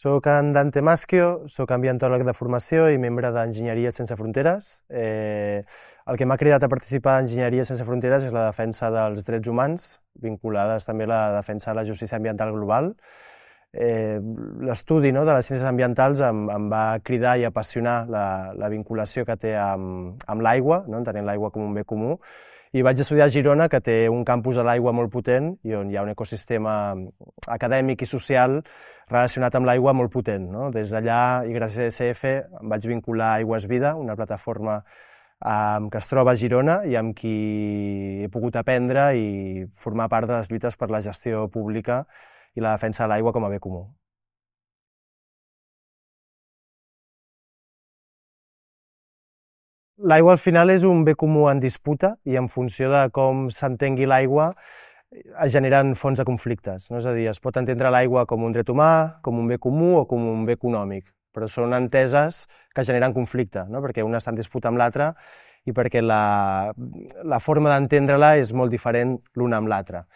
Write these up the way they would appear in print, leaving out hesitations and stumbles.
Soc en Dante Maschio, soc ambientòleg de formació i membre d'Enginyeria Sense Fronteres. El que m'ha cridat a participar d'Enginyeria Sense Fronteres és la defensa dels drets humans, vinculades també a la defensa de la justícia ambiental global. L'estudi de les ciències ambientals em va cridar i apassionar la vinculació que té amb l'aigua, entenent l'aigua com un bé comú, i vaig estudiar a Girona, que té un campus a l'aigua molt potent i on hi ha un ecosistema acadèmic i social relacionat amb l'aigua molt potent. Des d'allà, i gràcies a ESF, em vaig vincular a Aigües Vida, una plataforma que es troba a Girona i amb qui he pogut aprendre i formar part de les lluites per la gestió pública i la defensa de l'aigua com a bé comú. L'aigua al final és un bé comú en disputa i en funció de com s'entengui l'aigua es generen fonts de conflictes. És a dir, es pot entendre l'aigua com un dret humà, com un bé comú o com un bé econòmic, però són enteses que generen conflicte, perquè una està en disputa amb l'altra i perquè la forma d'entendre-la és molt diferent l'una amb l'altra.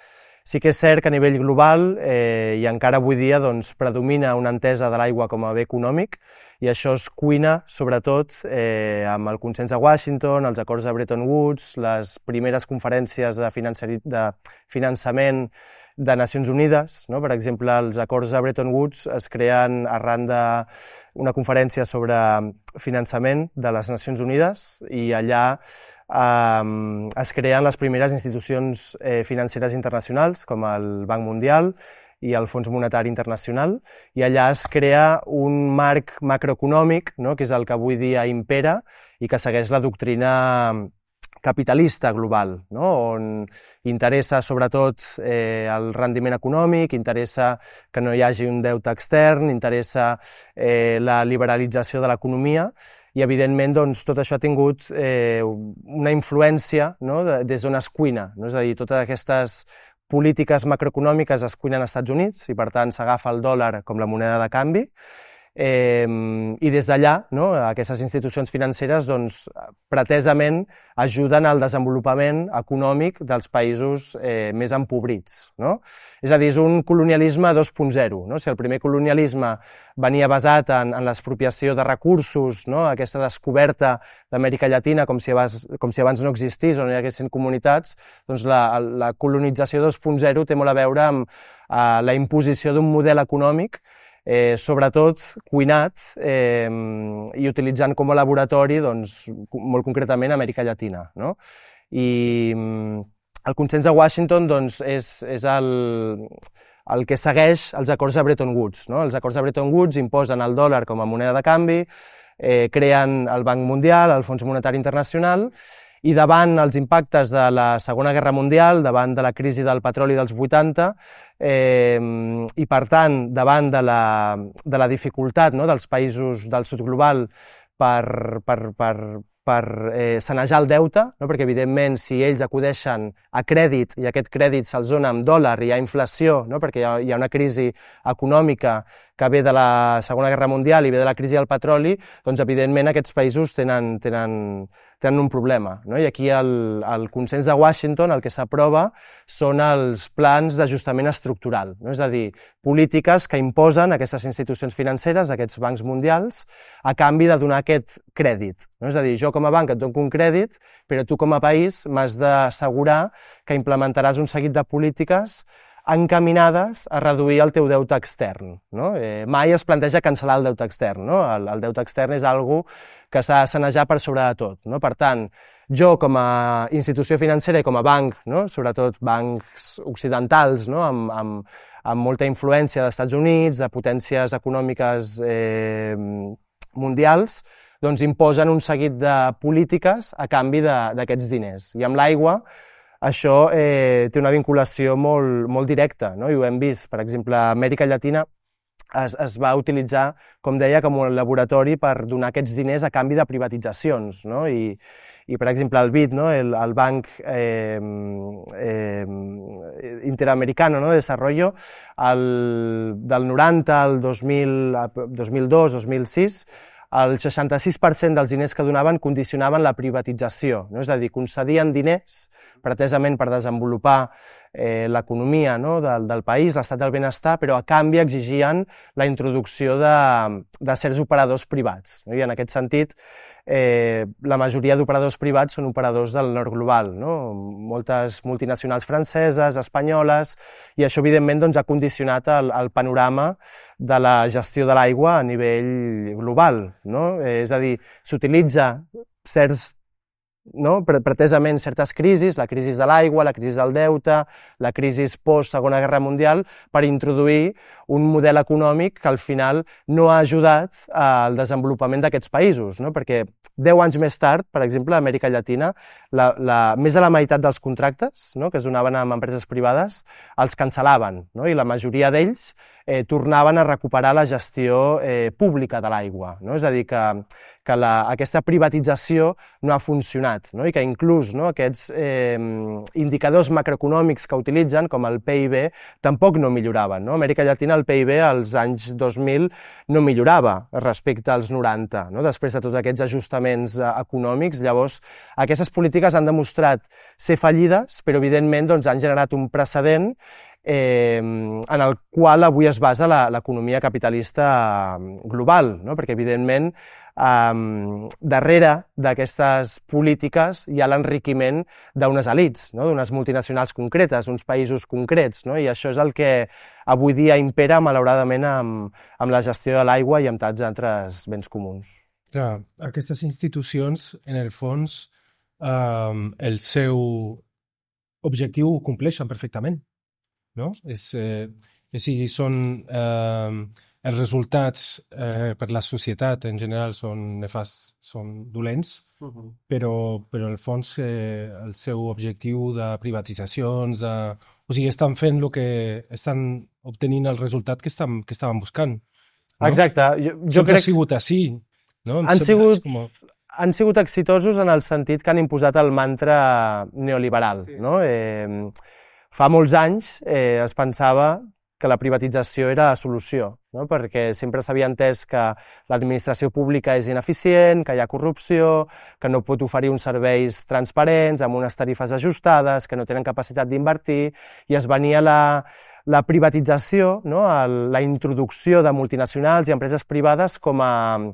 Sí que és cert que a nivell global i encara avui dia predomina una entesa de l'aigua com a bé econòmic i això es cuina sobretot amb el consens de Washington, els acords de Bretton Woods, les primeres conferències de finançament de Nacions Unides. Per exemple, els acords de Bretton Woods es creen arran d'una conferència sobre finançament de les Nacions Unides i allà es creen les primeres institucions financeres internacionals, com el Banc Mundial i el Fons Monetari Internacional, i allà es crea un marc macroeconòmic, que és el que avui dia impera i que segueix la doctrina capitalista global, on interessa sobretot el rendiment econòmic, interessa que no hi hagi un deute extern, interessa la liberalització de l'economia, i evidentment tot això ha tingut una influència des d'on es cuina, és a dir, totes aquestes polítiques macroeconòmiques es cuinen als Estats Units i per tant s'agafa el dòlar com la moneda de canvi i des d'allà aquestes institucions financeres pretesament ajuden al desenvolupament econòmic dels països més empobrits. És a dir, és un colonialisme 2.0. Si el primer colonialisme venia basat en l'expropiació de recursos, aquesta descoberta d'Amèrica Llatina com si abans no existís o no hi haguessin comunitats, doncs la colonització 2.0 té molt a veure amb la imposició d'un model econòmic sobretot cuinat i utilitzant com a laboratori, molt concretament, Amèrica Llatina. I el consens de Washington és el que segueix els acords de Bretton Woods. Els acords de Bretton Woods imposen el dòlar com a moneda de canvi, creen el Banc Mundial, el Fons Monetari Internacional, i davant els impactes de la Segona Guerra Mundial, davant de la crisi del petroli dels 80, i per tant, davant de la dificultat dels països del sud global per sanejar el deute, perquè evidentment si ells acudeixen a crèdit i aquest crèdit se'ls dona amb dòlar i hi ha inflació, perquè hi ha una crisi econòmica que ve de la Segona Guerra Mundial i ve de la crisi del petroli, doncs evidentment aquests països tenen un problema. I aquí al consens de Washington el que s'aprova són els plans d'ajustament estructural, és a dir, polítiques que imposen aquestes institucions financeres, aquests bancs mundials, a canvi de donar aquest crèdit. És a dir, jo com a banc et dono un crèdit, però tu com a país m'has d'assegurar que implementaràs un seguit de polítiques encaminades a reduir el teu deute extern. Mai es planteja cancel·lar el deute extern. El deute extern és una cosa que s'ha de sanejar per sobre de tot. Per tant, jo com a institució financera i com a banc, sobretot bancs occidentals, amb molta influència dels Estats Units, de potències econòmiques mundials, doncs imposen un seguit de polítiques a canvi d'aquests diners. I amb l'aigua això té una vinculació molt directa, i ho hem vist. Per exemple, a Amèrica Llatina es va utilitzar, com deia, com un laboratori per donar aquests diners a canvi de privatitzacions, no? I per exemple, el BID, no? el Banc Interamericano, no? de Desarrollo, del 90 al 2002, 2006, el 66% dels diners que donaven condicionaven la privatització, no? És a dir, concedien diners pretesament per desenvolupar l'economia, no? del país, l'estat del benestar, però a canvi exigien la introducció de certs operadors privats. No? I en aquest sentit, la majoria d'operadors privats són operadors del nord global, no? Moltes multinacionals franceses, espanyoles, i això evidentment doncs, ha condicionat el panorama de la gestió de l'aigua a nivell global, no? És a dir, s'utilitza certs, no? pretesament certes crisis, la crisi de l'aigua, la crisi del deute, la crisi post-Segona Guerra Mundial, per introduir un model econòmic que al final no ha ajudat al desenvolupament d'aquests països, no? Perquè 10 anys més tard, per exemple, a Amèrica Llatina, més de la meitat dels contractes, no? que es donaven amb empreses privades els cancel·laven, no? I la majoria d'ells tornaven a recuperar la gestió pública de l'aigua, no? És a dir, que aquesta privatització no ha funcionat, no? I que inclús aquests indicadors macroeconòmics que utilitzen, com el PIB, tampoc no milloraven, no? A Amèrica Llatina el PIB als anys 2000 no millorava respecte als 90, no? Després de tots aquests ajustaments econòmics. Llavors, aquestes polítiques han demostrat ser fallides, però evidentment doncs, han generat un precedent en el qual avui es basa l'economia capitalista global, no? Perquè evidentment darrere d'aquestes polítiques hi ha l'enriquiment d'unes elits, no? D'unes multinacionals concretes, uns països concrets, no? I això és el que avui dia impera malauradament amb la gestió de l'aigua i amb tants altres béns comuns. Clar, aquestes institucions, en el fons, el seu objectiu ho compleixen perfectament, no? Si són els resultats per la societat en general són nefasts, són dolents, però en el fons el seu objectiu de privatitzacions, o sigui, estan fent el que estan obtenint el resultat que estaven buscant. No? Exacte. Jo crec que ha sigut així. No? Han sigut exitosos en el sentit que han imposat el mantra neoliberal. Sí. No? Fa molts anys es pensava que la privatització era la solució, no? Perquè sempre s'havia entès que l'administració pública és ineficient, que hi ha corrupció, que no pot oferir uns serveis transparents, amb unes tarifes ajustades, que no tenen capacitat d'invertir, i es venia la privatització, no? La introducció de multinacionals i empreses privades com a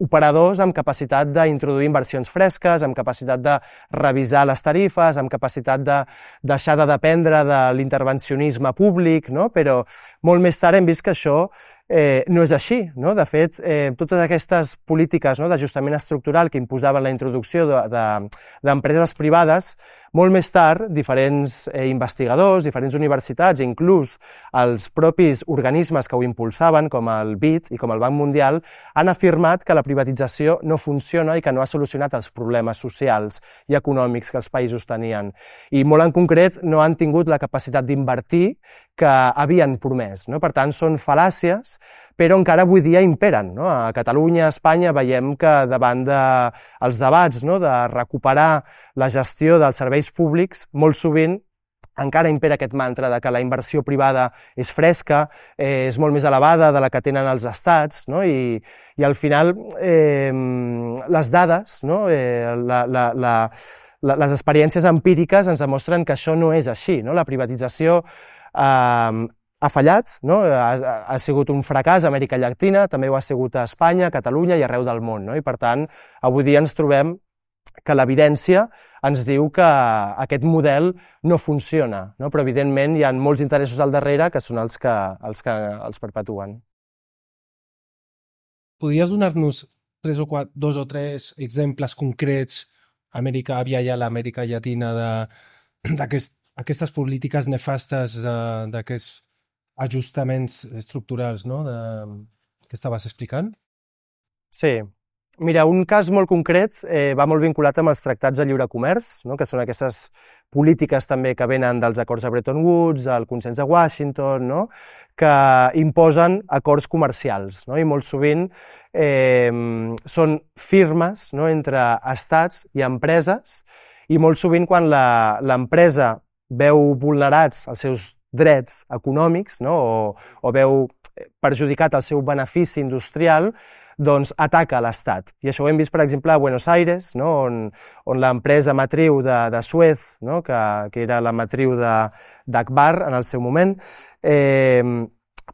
operadors amb capacitat d'introduir inversions fresques, amb capacitat de revisar les tarifes, amb capacitat de deixar de dependre de l'intervencionisme públic, no? Però molt més tard hem vist que això no és així, no? De fet, totes aquestes polítiques, no, d'ajustament estructural que imposaven la introducció d'empreses privades, molt més tard, diferents investigadors, diferents universitats, inclús els propis organismes que ho impulsaven, com el BID i com el Banc Mundial, han afirmat que la privatització no funciona i que no ha solucionat els problemes socials i econòmics que els països tenien. I molt en concret no han tingut la capacitat d'invertir que havien promès, no? Per tant, són fal·làcies, però encara avui dia imperen, no? A Catalunya, a Espanya, veiem que davant dels debats, no, de recuperar la gestió dels serveis públics, molt sovint encara impera aquest mantra de que la inversió privada és fresca, és molt més elevada de la que tenen els estats, no? I al final les dades, no? Les experiències empíriques ens demostren que això no és així, no? La privatització ha fallat, no? Ha sigut un fracàs a Amèrica Llatina, també ho ha sigut a Espanya, a Catalunya i arreu del món, no? I per tant, avui dia ens trobem que l'evidència ens diu que aquest model no funciona, no? Però evidentment hi ha molts interessos al darrere que són els que els perpetuen. Podries donar-nos dos o tres exemples concrets a l'Amèrica Llatina d'aquestes polítiques nefastes, d'aquests ajustaments estructurals, no? Que estaves explicant? Sí. Mira, un cas molt concret va molt vinculat amb els tractats de lliure comerç, no? Que són aquestes polítiques també que venen dels acords de Bretton Woods, el consens de Washington, no? Que imposen acords comercials, no? I molt sovint són firmes, no? Entre estats i empreses, i molt sovint quan l'empresa veu vulnerats els seus drets econòmics, no? o veu perjudicat el seu benefici industrial, doncs ataca l'Estat. I això ho hem vist, per exemple, a Buenos Aires, no? on l'empresa matriu de Suez, no? que era la matriu d'Akbar en el seu moment,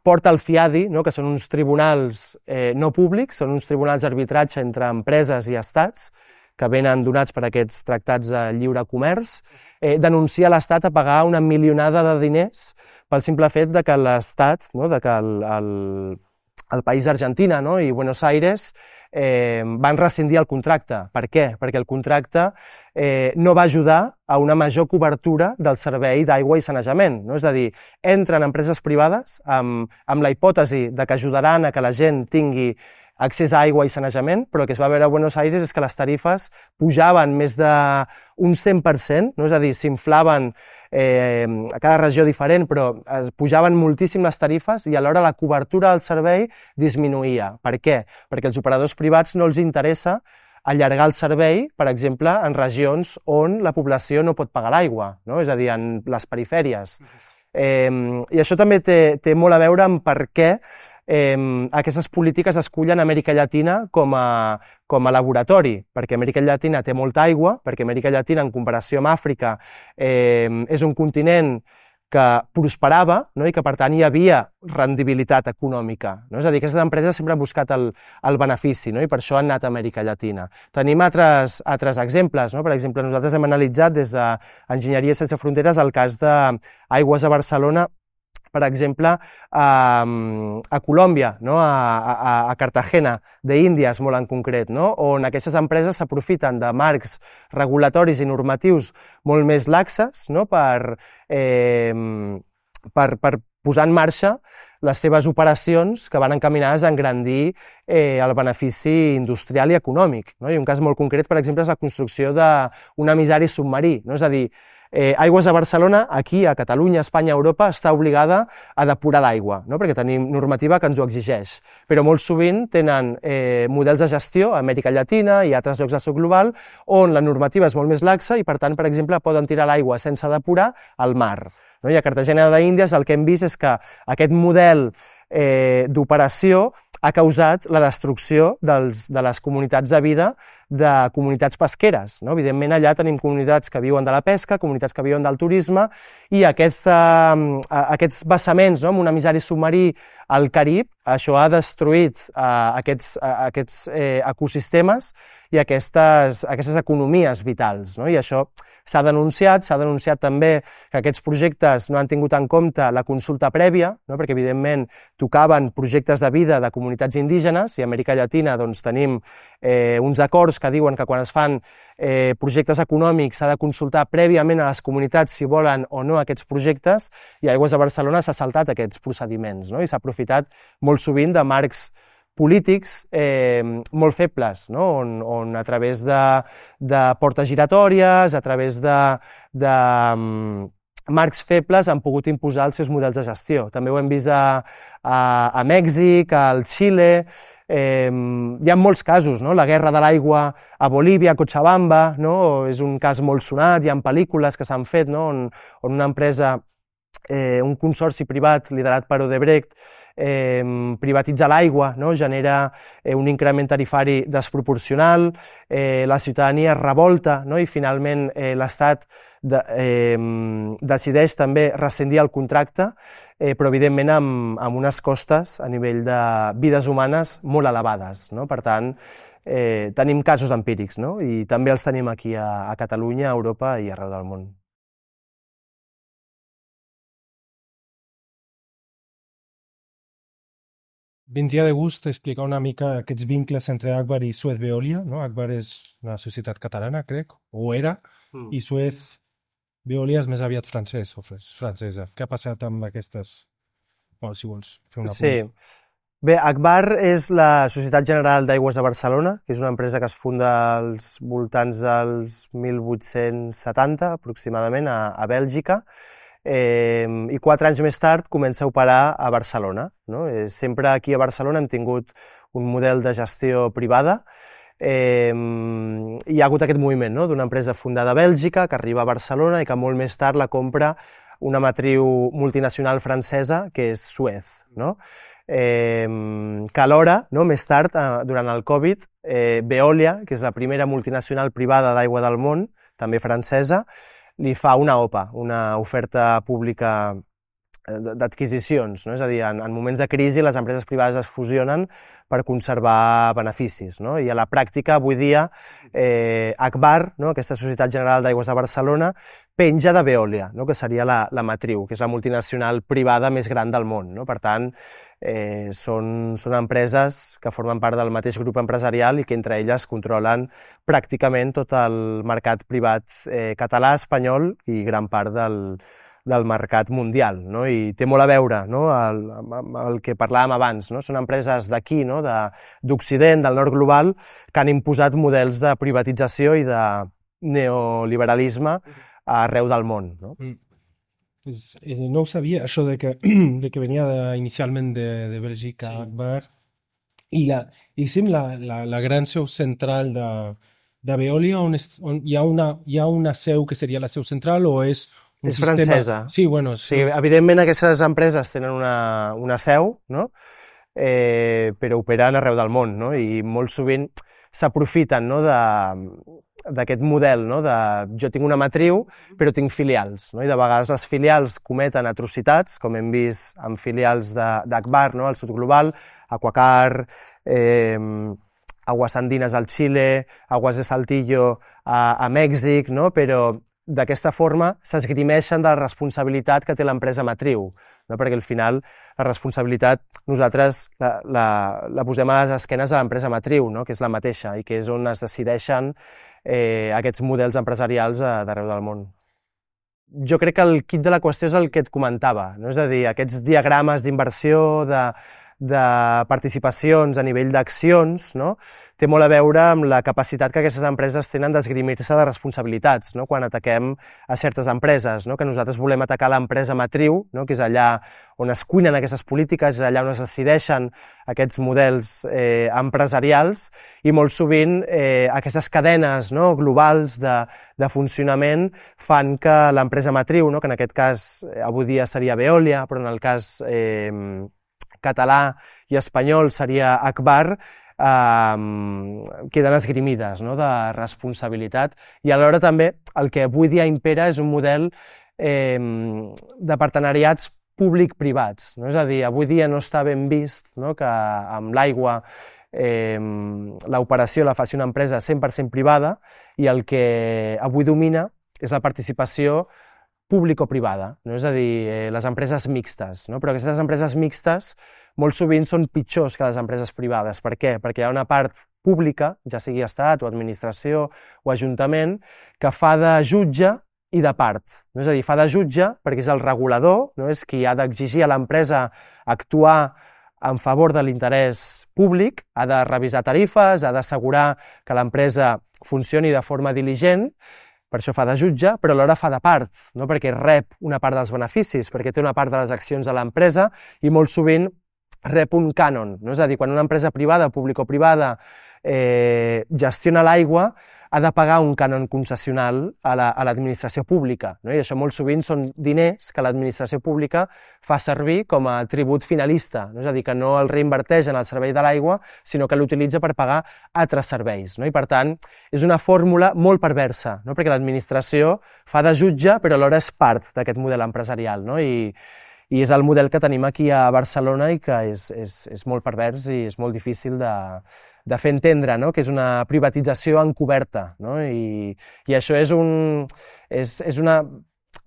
porta el CIADI, no? Que són uns tribunals no públics, són uns tribunals d'arbitratge entre empreses i estats, que venen donats per aquests tractats de lliure comerç, denuncia l'Estat a pagar una milionada de diners pel simple fet de que l'Estat, no? De que el país d'Argentina, no? I Buenos Aires van rescindir el contracte. Per què? Perquè el contracte no va ajudar a una major cobertura del servei d'aigua i sanejament. No? És a dir, entren empreses privades amb la hipòtesi de que ajudaran a que la gent tingui accés a aigua i sanejament, però el que es va veure a Buenos Aires és que les tarifes pujaven més d'un 100%, no? És a dir, s'inflaven a cada regió diferent, però pujaven moltíssim les tarifes i alhora la cobertura del servei disminuïa. Per què? Perquè als operadors privats no els interessa allargar el servei, per exemple, en regions on la població no pot pagar l'aigua, no? És a dir, en les perifèries. I això també té molt a veure amb per què aquestes polítiques escullen Amèrica Llatina com a laboratori, perquè Amèrica Llatina té molta aigua, perquè Amèrica Llatina, en comparació amb Àfrica, és un continent que prosperava, no? I que, per tant, hi havia rendibilitat econòmica. No? És a dir, aquestes empreses sempre han buscat el benefici, no? I per això han anat a Amèrica Llatina. Tenim altres exemples. No? Per exemple, nosaltres hem analitzat des d'Enginyeria Sense Fronteres el cas d'Aigües de Barcelona, per exemple, a Colòmbia, no? a Cartagena d'Índies, molt en concret, no? On aquestes empreses s'aprofiten de marcs regulatoris i normatius molt més laxes, no? per posar en marxa les seves operacions que van encaminades a engrandir el benefici industrial i econòmic. No? I un cas molt concret, per exemple, és la construcció d'un emissari submarí. No? És a dir, Aigües de Barcelona, aquí, a Catalunya, Espanya, Europa, està obligada a depurar l'aigua, no? Perquè tenim normativa que ens ho exigeix. Però molt sovint tenen models de gestió a Amèrica Llatina i a altres llocs del sud global on la normativa és molt més laxa i, per tant, per exemple, poden tirar l'aigua sense depurar al mar. No? I a Cartagena d'Índies el que hem vist és que aquest model d'operació ha causat la destrucció de les comunitats de vida de comunitats pesqueres. No? Evidentment, allà tenim comunitats que viuen de la pesca, comunitats que viuen del turisme, i aquests vessaments, no? Amb un emissari submarí al Carib, això ha destruït aquests ecosistemes i aquestes economies vitals. No? I això s'ha denunciat també que aquests projectes no han tingut en compte la consulta prèvia, no? Perquè evidentment tocaven projectes de vida de comunitats indígenes, i a Amèrica Llatina doncs, tenim uns acords que diuen que quan es fan projectes econòmics s'ha de consultar prèviament a les comunitats si volen o no aquests projectes, i Aigües de Barcelona s'ha saltat aquests procediments, no? I s'ha aprofitat molt sovint de marcs polítics molt febles, no? on a través de portes giratòries, a través de marcs febles han pogut imposar els seus models de gestió. També ho hem vist a Mèxic, al Xile, hi ha molts casos, no? La guerra de l'aigua a Bolívia, a Cochabamba, no? És un cas molt sonat, hi ha pel·lícules que s'han fet, no? on una empresa, un consorci privat liderat per Odebrecht, privatitza l'aigua, no? Genera un increment tarifari desproporcional, la ciutadania es revolta, no? I finalment l'Estat decideix també rescindir el contracte, però evidentment amb unes costes a nivell de vides humanes molt elevades. No? Per tant, tenim casos empírics, no? I també els tenim aquí a Catalunya, a Europa i arreu del món. Vindria de gust explicar una mica aquests vincles entre Akbar i Suez Veolia, no? Akbar és una societat catalana, crec, o era, i Suez Veolia és més aviat francès o francesa. Què ha passat amb aquestes? Bueno, si vols fer una Sí. Bé, Agbar és la Societat General d'Aigües de Barcelona, que és una empresa que es funda als voltants dels 1870, aproximadament, a Bèlgica, i 4 anys més tard comença a operar a Barcelona. No? Sempre aquí a Barcelona hem tingut un model de gestió privada, hi ha hagut aquest moviment, no? D'una empresa fundada a Bèlgica que arriba a Barcelona i que molt més tard la compra una matriu multinacional francesa que és Suez, no? Que alhora, no? Més tard, durant el Covid, Veolia, que és la primera multinacional privada d'aigua del món, també francesa, li fa una OPA, una oferta pública d'adquisicions, no? És a dir, en moments de crisi les empreses privades es fusionen per conservar beneficis, no? I a la pràctica, avui dia, Agbar, no? Aquesta Societat General d'Aigües de Barcelona, penja de Veolia, no? Que seria la matriu, que és la multinacional privada més gran del món, no? Per tant, són empreses que formen part del mateix grup empresarial i que entre elles controlen pràcticament tot el mercat privat català, espanyol i gran part del mercat mundial, no? I té molt a veure, no? El que parlàvem abans, no? Són empreses d'aquí, no? D'Occident, del nord global, que han imposat models de privatització i de neoliberalisme arreu del món, no? No ho sabia, això de que venia inicialment de Bèlgica, sí. Agbar, i la gran seu central de Veolia, on hi ha una seu que seria la seu central, o és un sistema... francesa. Sí, bueno... Sí, evidentment aquestes empreses tenen una seu, no? Però operen arreu del món, no? I molt sovint s'aprofiten, no? D'aquest model, no? Jo tinc una matriu, però tinc filials, no? I de vegades les filials cometen atrocitats, com hem vist amb filials d'Agbar, no? Al sud global, Aquacar, Aguas Andinas al Xile, Aguas de Saltillo a Mèxic, no? Però d'aquesta forma s'esgrimeixen de la responsabilitat que té l'empresa matriu, no? Perquè al final la responsabilitat nosaltres la posem a les esquenes de l'empresa matriu, no? Que és la mateixa i que és on es decideixen aquests models empresarials d'arreu del món. Jo crec que el quid de la qüestió és el que et comentava, no? És a dir, aquests diagrames d'inversió, de participacions a nivell d'accions, no? Té molt a veure amb la capacitat que aquestes empreses tenen d'esgrimir-se de responsabilitats, no? Quan ataquem a certes empreses, no? Que nosaltres volem atacar l'empresa matriu, no? Que és allà on es cuinen aquestes polítiques, és allà on es decideixen aquests models empresarials, i molt sovint aquestes cadenes, no? Globals de funcionament fan que l'empresa matriu, no? Que en aquest cas avui dia seria Veolia, però en el cas català i espanyol seria Agbar, queden esgrimides, no? De responsabilitat, i alhora també el que avui dia impera és un model de partenariats públic-privats, no? És a dir, avui dia no està ben vist, no? Que amb l'aigua l'operació la faci una empresa 100% privada, i el que avui domina és la participació público-privada, no? És a dir, les empreses mixtes, no? Però aquestes empreses mixtes molt sovint són pitjors que les empreses privades. Per què? Perquè hi ha una part pública, ja sigui estat o administració o ajuntament, que fa de jutge i de part, no? És a dir, fa de jutge perquè és el regulador, no? És qui ha d'exigir a l'empresa actuar en favor de l'interès públic, ha de revisar tarifes, ha d'assegurar que l'empresa funcioni de forma diligent. Per això fa de jutge, però alhora fa de part, no? Perquè rep una part dels beneficis, perquè té una part de les accions de l'empresa i molt sovint rep un cànon, no? És a dir, quan una empresa privada, público-privada, gestiona l'aigua, ha de pagar un cànon concessional a l'administració pública, no? I això molt sovint són diners que l'administració pública fa servir com a tribut finalista, no? És a dir, que no el reinverteix en el servei de l'aigua, sinó que l'utilitza per pagar altres serveis, no? I per tant, és una fórmula molt perversa, no? Perquè l'administració fa de jutge, però alhora és part d'aquest model empresarial, no? I és el model que tenim aquí a Barcelona i que és molt pervers i és molt difícil de fer entendre, no? Que és una privatització encoberta, no? I això és una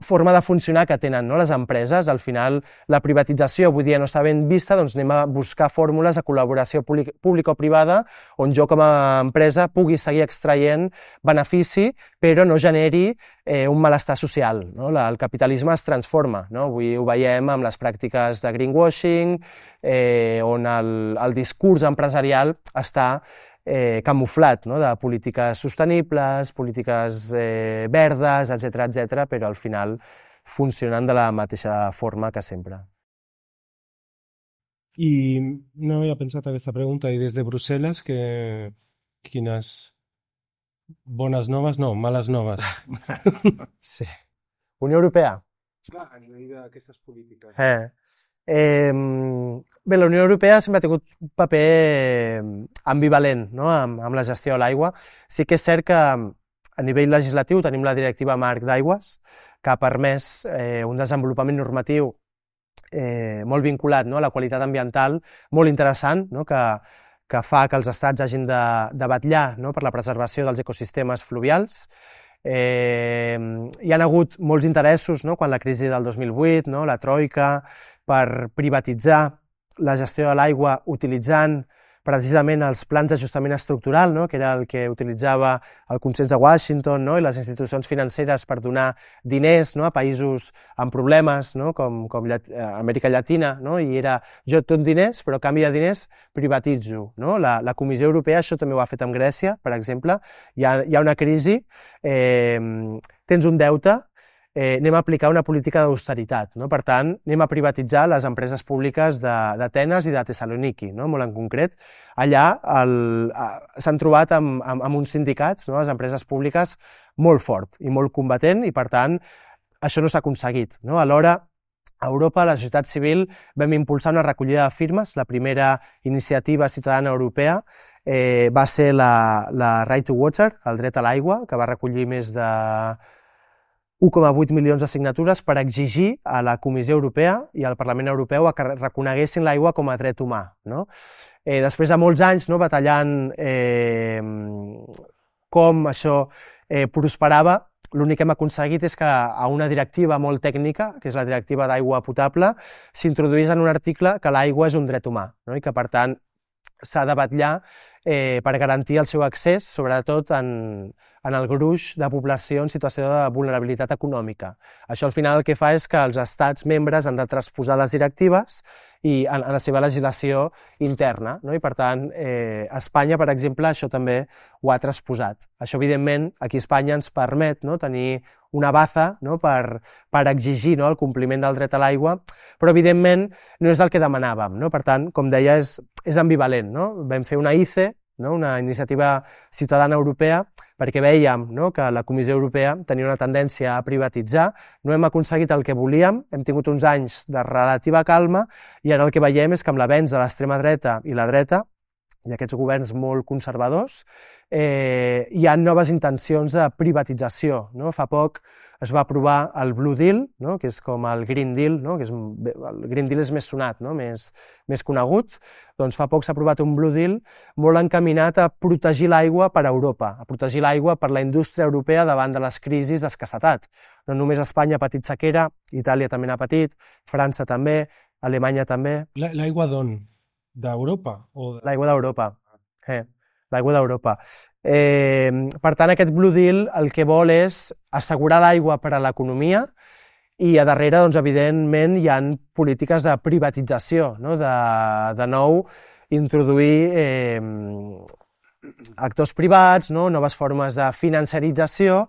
forma de funcionar que tenen, no, les empreses. Al final, la privatització avui dia no està ben vista, doncs anem a buscar fórmules de col·laboració pública o privada on jo com a empresa pugui seguir extraient benefici, però no generi un malestar social. No? El capitalisme es transforma. No? Avui ho veiem amb les pràctiques de greenwashing, on el discurs empresarial està camuflat, no? De polítiques sostenibles, polítiques verdes, etc., però al final funcionen de la mateixa forma que sempre. I no havia pensat aquesta pregunta, i des de Brussel·les, quines bones noves, no, males noves? Sí. Unió Europea. Clar, a nivell d'aquestes polítiques. Bé, la Unió Europea sempre ha tingut un paper ambivalent, no? amb la gestió de l'aigua. Sí que és cert que a nivell legislatiu tenim la Directiva Marc d'Aigües, que ha permès un desenvolupament normatiu molt vinculat, no? A la qualitat ambiental, molt interessant, no? Que fa que els estats hagin de vetllar, no? Per la preservació dels ecosistemes fluvials. Hi ha hagut molts interessos, no? Quan la crisi del 2008, no? La troika, per privatitzar la gestió de l'aigua utilitzant precisament els plans d'ajustament estructural, no? Que era el que utilitzava el consens de Washington, no? I les institucions financeres per donar diners, no? A països amb problemes, no? com Amèrica Llatina, no? I era, jo et dono diners, però a canvi de diners privatitzo. No? La Comissió Europea això també ho ha fet amb Grècia, per exemple. Hi ha una crisi, tens un deute, anem a aplicar una política d'austeritat, no? Per tant, anem a privatitzar les empreses públiques d'Atenes i de Thessaloniki, no? Molt en concret. Allà s'han trobat amb uns sindicats, no? Les empreses públiques, molt fort i molt combatent, i per tant, això no s'ha aconseguit. No? Alhora, a Europa, a la societat civil, vam impulsar una recollida de firmes. La primera iniciativa ciutadana europea va ser la Right to Water, el dret a l'aigua, que va recollir més de 1,8 milions de signatures per exigir a la Comissió Europea i al Parlament Europeu que reconeguessin l'aigua com a dret humà. No? Després de molts anys, no, batallant com això prosperava, l'únic que hem aconseguit és que a una directiva molt tècnica, que és la directiva d'aigua potable, s'introduís en un article que l'aigua és un dret humà, no? I que, per tant, s'ha de vetllar per garantir el seu accés, sobretot en el gruix de població en situació de vulnerabilitat econòmica. Això al final el que fa és que els estats membres han de transposar les directives i en la seva legislació interna, no? I per tant, Espanya, per exemple, això també ho ha transposat. Això, evidentment, aquí a Espanya ens permet, no, tenir una baza, no, per exigir, no, el compliment del dret a l'aigua, però evidentment no és el que demanàvem. No? Per tant, com deia, és ambivalent. No? Vam fer una ICE, no? Una iniciativa ciutadana europea, perquè veiem, no, que la Comissió Europea tenia una tendència a privatitzar. No hem aconseguit el que volíem, hem tingut uns anys de relativa calma, i ara el que veiem és que amb l'avenç de l'extrema dreta i la dreta, i aquests governs molt conservadors, hi ha noves intencions de privatització. No? Fa poc es va aprovar el Blue Deal, no? Que és com el Green Deal, no? Que el Green Deal és més sonat, no? més conegut. Doncs fa poc s'ha aprovat un Blue Deal molt encaminat a protegir l'aigua per a Europa, a protegir l'aigua per la indústria europea davant de les crisis d'escassetat. No només Espanya ha patit sequera, Itàlia també n'ha patit, França també, Alemanya també. L'aigua d'on? D'Europa? L'aigua d'Europa. L'aigua d'Europa. Per tant, aquest Blue Deal el que vol és assegurar l'aigua per a l'economia i a darrere, doncs, evidentment, hi ha polítiques de privatització, no? De nou, introduir actors privats, no? Noves formes de financerització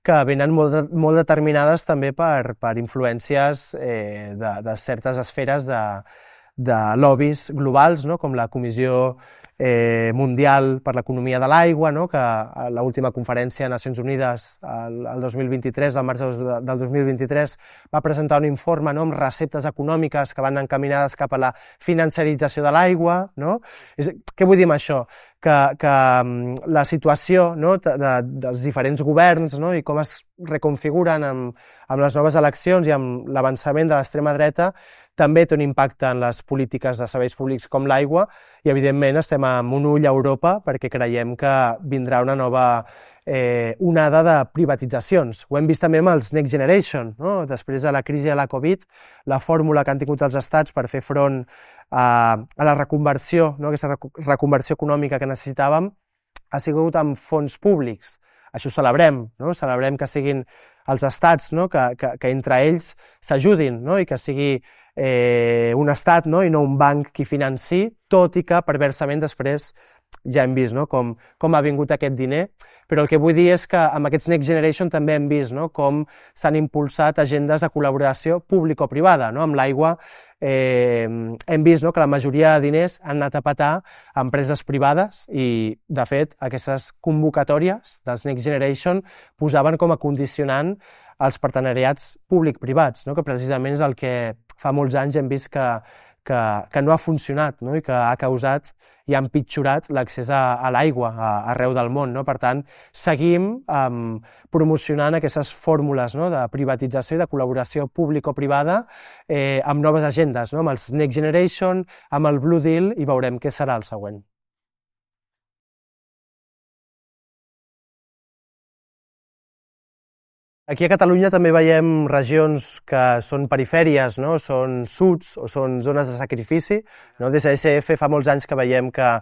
que venen molt determinades també per influències de certes esferes de lobbies globals, no? Com la Comissió Mundial per l'Economia de l'Aigua, no? Que a l'última conferència de Nacions Unides, el 2023, al març del 2023, va presentar un informe, no? Amb receptes econòmiques que van encaminades cap a la financerització de l'aigua. No? Què vull dir amb això? Que la situació, no? dels diferents governs, no? I com es reconfiguren amb les noves eleccions i amb l'avançament de l'extrema dreta també té un impacte en les polítiques de serveis públics com l'aigua i, evidentment, estem amb un ull a Europa perquè creiem que vindrà una nova onada de privatitzacions. Ho hem vist també amb els Next Generation, no? Després de la crisi de la Covid, la fórmula que han tingut els estats per fer front a la reconversió, no? Aquesta reconversió econòmica que necessitàvem, ha sigut amb fons públics. Això ho celebrem, no? Celebrem que siguin els estats, no? que entre ells s'ajudin, no? I que sigui un estat, no? I no un banc qui financi, tot i que perversament després ja hem vist, no? com ha vingut aquest diner, però el que vull dir és que amb aquests Next Generation també hem vist, no? Com s'han impulsat agendes de col·laboració público-privada, no? Amb l'aigua hem vist, no? Que la majoria de diners han anat a petar a empreses privades i, de fet, aquestes convocatòries dels Next Generation posaven com a condicionant els partenariats públic-privats, no? Que precisament és el que fa molts anys hem vist que no ha funcionat, no? I que ha causat i ha empitjorat l'accés a l'aigua arreu del món, no? Per tant, seguim promocionant aquestes fórmules, no? De privatització i de col·laboració público-privada amb noves agendes, no? Amb els Next Generation, amb el Blue Deal, i veurem què serà el següent. Aquí a Catalunya també veiem regions que són perifèries, no? Són suds o són zones de sacrifici. No? Des d'ESF fa molts anys que veiem que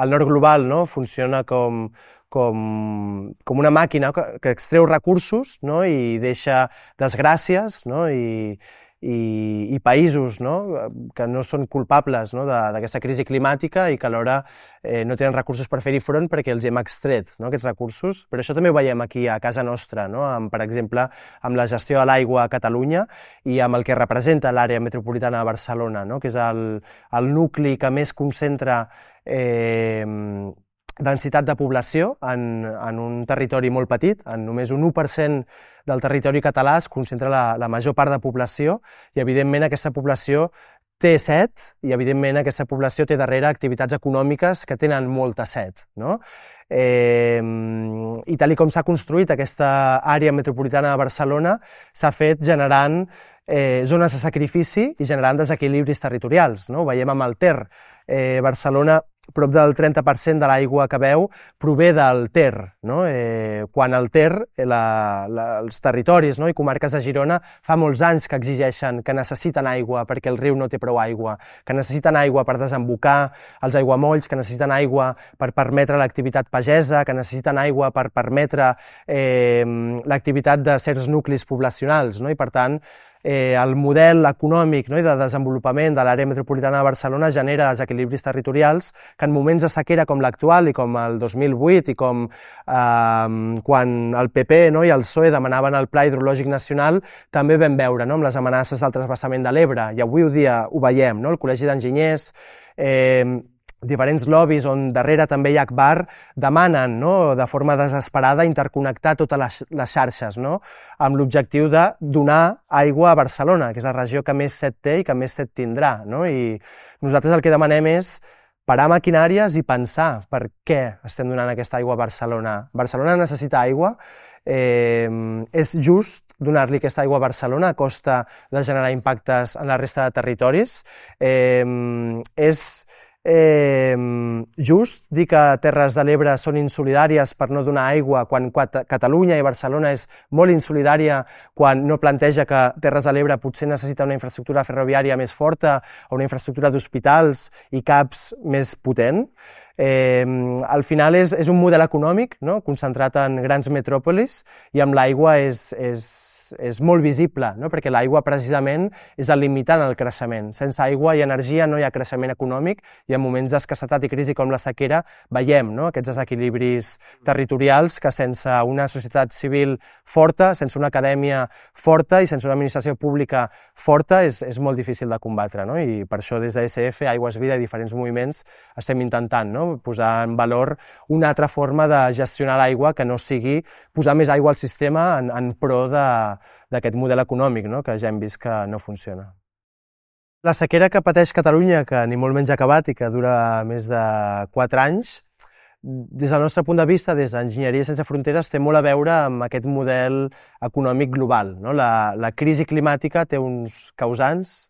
el nord global, no? Funciona com una màquina que extreu recursos, no? I deixa desgràcies, no? I països, no? Que no són culpables, no? D'aquesta crisi climàtica i que alhora no tenen recursos per fer-hi front perquè els hem extret, no? Aquests recursos. Però això també ho veiem aquí a casa nostra, no? Per exemple, amb la gestió de l'aigua a Catalunya i amb el que representa l'àrea metropolitana de Barcelona, no? Que és el nucli que més concentra densitat de població en un territori molt petit. En només un 1% del territori català es concentra la major part de població i, evidentment, aquesta població té set i, evidentment, aquesta població té darrere activitats econòmiques que tenen molta set, no? I tal com s'ha construït aquesta àrea metropolitana de Barcelona, s'ha fet generant zones de sacrifici i generant desequilibris territorials, no? Ho veiem amb el Ter. Barcelona, prop del 30% de l'aigua que beu prové del Ter, no? Quan el Ter, els territoris, no? I comarques de Girona fa molts anys que exigeixen que necessiten aigua perquè el riu no té prou aigua, que necessiten aigua per desembocar els aiguamolls, que necessiten aigua per permetre l'activitat pagesa, que necessiten aigua per permetre l'activitat de certs nuclis poblacionals, no? I, per tant, el model econòmic, no? I de desenvolupament de l'àrea metropolitana de Barcelona genera desequilibris territorials que en moments de sequera com l'actual i com el 2008 i com quan el PP, no? I el PSOE demanaven el Pla Hidrològic Nacional, també vam veure, no? Amb les amenaces del transvasament de l'Ebre, i avui ho veiem, no? El Col·legi d'Enginyers, diferents lobbies on darrere també hi ha Agbar, demanen, no? De forma desesperada interconnectar totes les xarxes, no? Amb l'objectiu de donar aigua a Barcelona, que és la regió que més set té i que més set tindrà, no? I nosaltres el que demanem és parar maquinàries i pensar per què estem donant aquesta aigua a Barcelona. Barcelona necessita aigua, és just donar-li aquesta aigua a Barcelona a costa de generar impactes en la resta de territoris, és just dir que Terres de l'Ebre són insolidàries per no donar aigua quan Catalunya i Barcelona és molt insolidària quan no planteja que Terres de l'Ebre potser necessita una infraestructura ferroviària més forta o una infraestructura d'hospitals i CAPs més potent. Al final és un model econòmic, no? Concentrat en grans metròpolis, i amb l'aigua és molt visible, no? Perquè l'aigua precisament és el limitant al creixement. Sense aigua i energia no hi ha creixement econòmic, i en moments d'escassetat i crisi com la sequera veiem, no? Aquests desequilibris territorials que sense una societat civil forta, sense una acadèmia forta i sense una administració pública forta és molt difícil de combatre, no? I per això des d'ESF, Aigües Vida i diferents moviments estem intentant, no? Posar en valor una altra forma de gestionar l'aigua que no sigui posar més aigua al sistema en pro d'aquest model econòmic, no? Que ja hem vist que no funciona. La sequera que pateix Catalunya, que ni molt menys ha acabat i que dura més de 4 anys, des del nostre punt de vista, des d'Enginyeria Sense Fronteres, té molt a veure amb aquest model econòmic global, no? La crisi climàtica té uns causants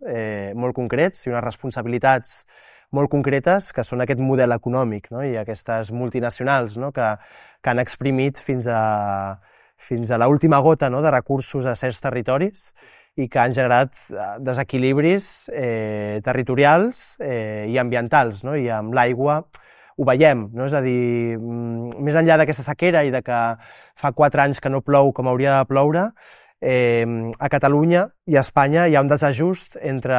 molt concrets i unes responsabilitats molt concretes, que són aquest model econòmic, no? I aquestes multinacionals, no? que han exprimit fins a l'última gota, no? De recursos a certs territoris i que han generat desequilibris territorials i ambientals, no? I amb l'aigua ho veiem, no? És a dir, més enllà d'aquesta sequera i de que fa 4 anys que no plou com hauria de ploure, a Catalunya i a Espanya hi ha un desajust entre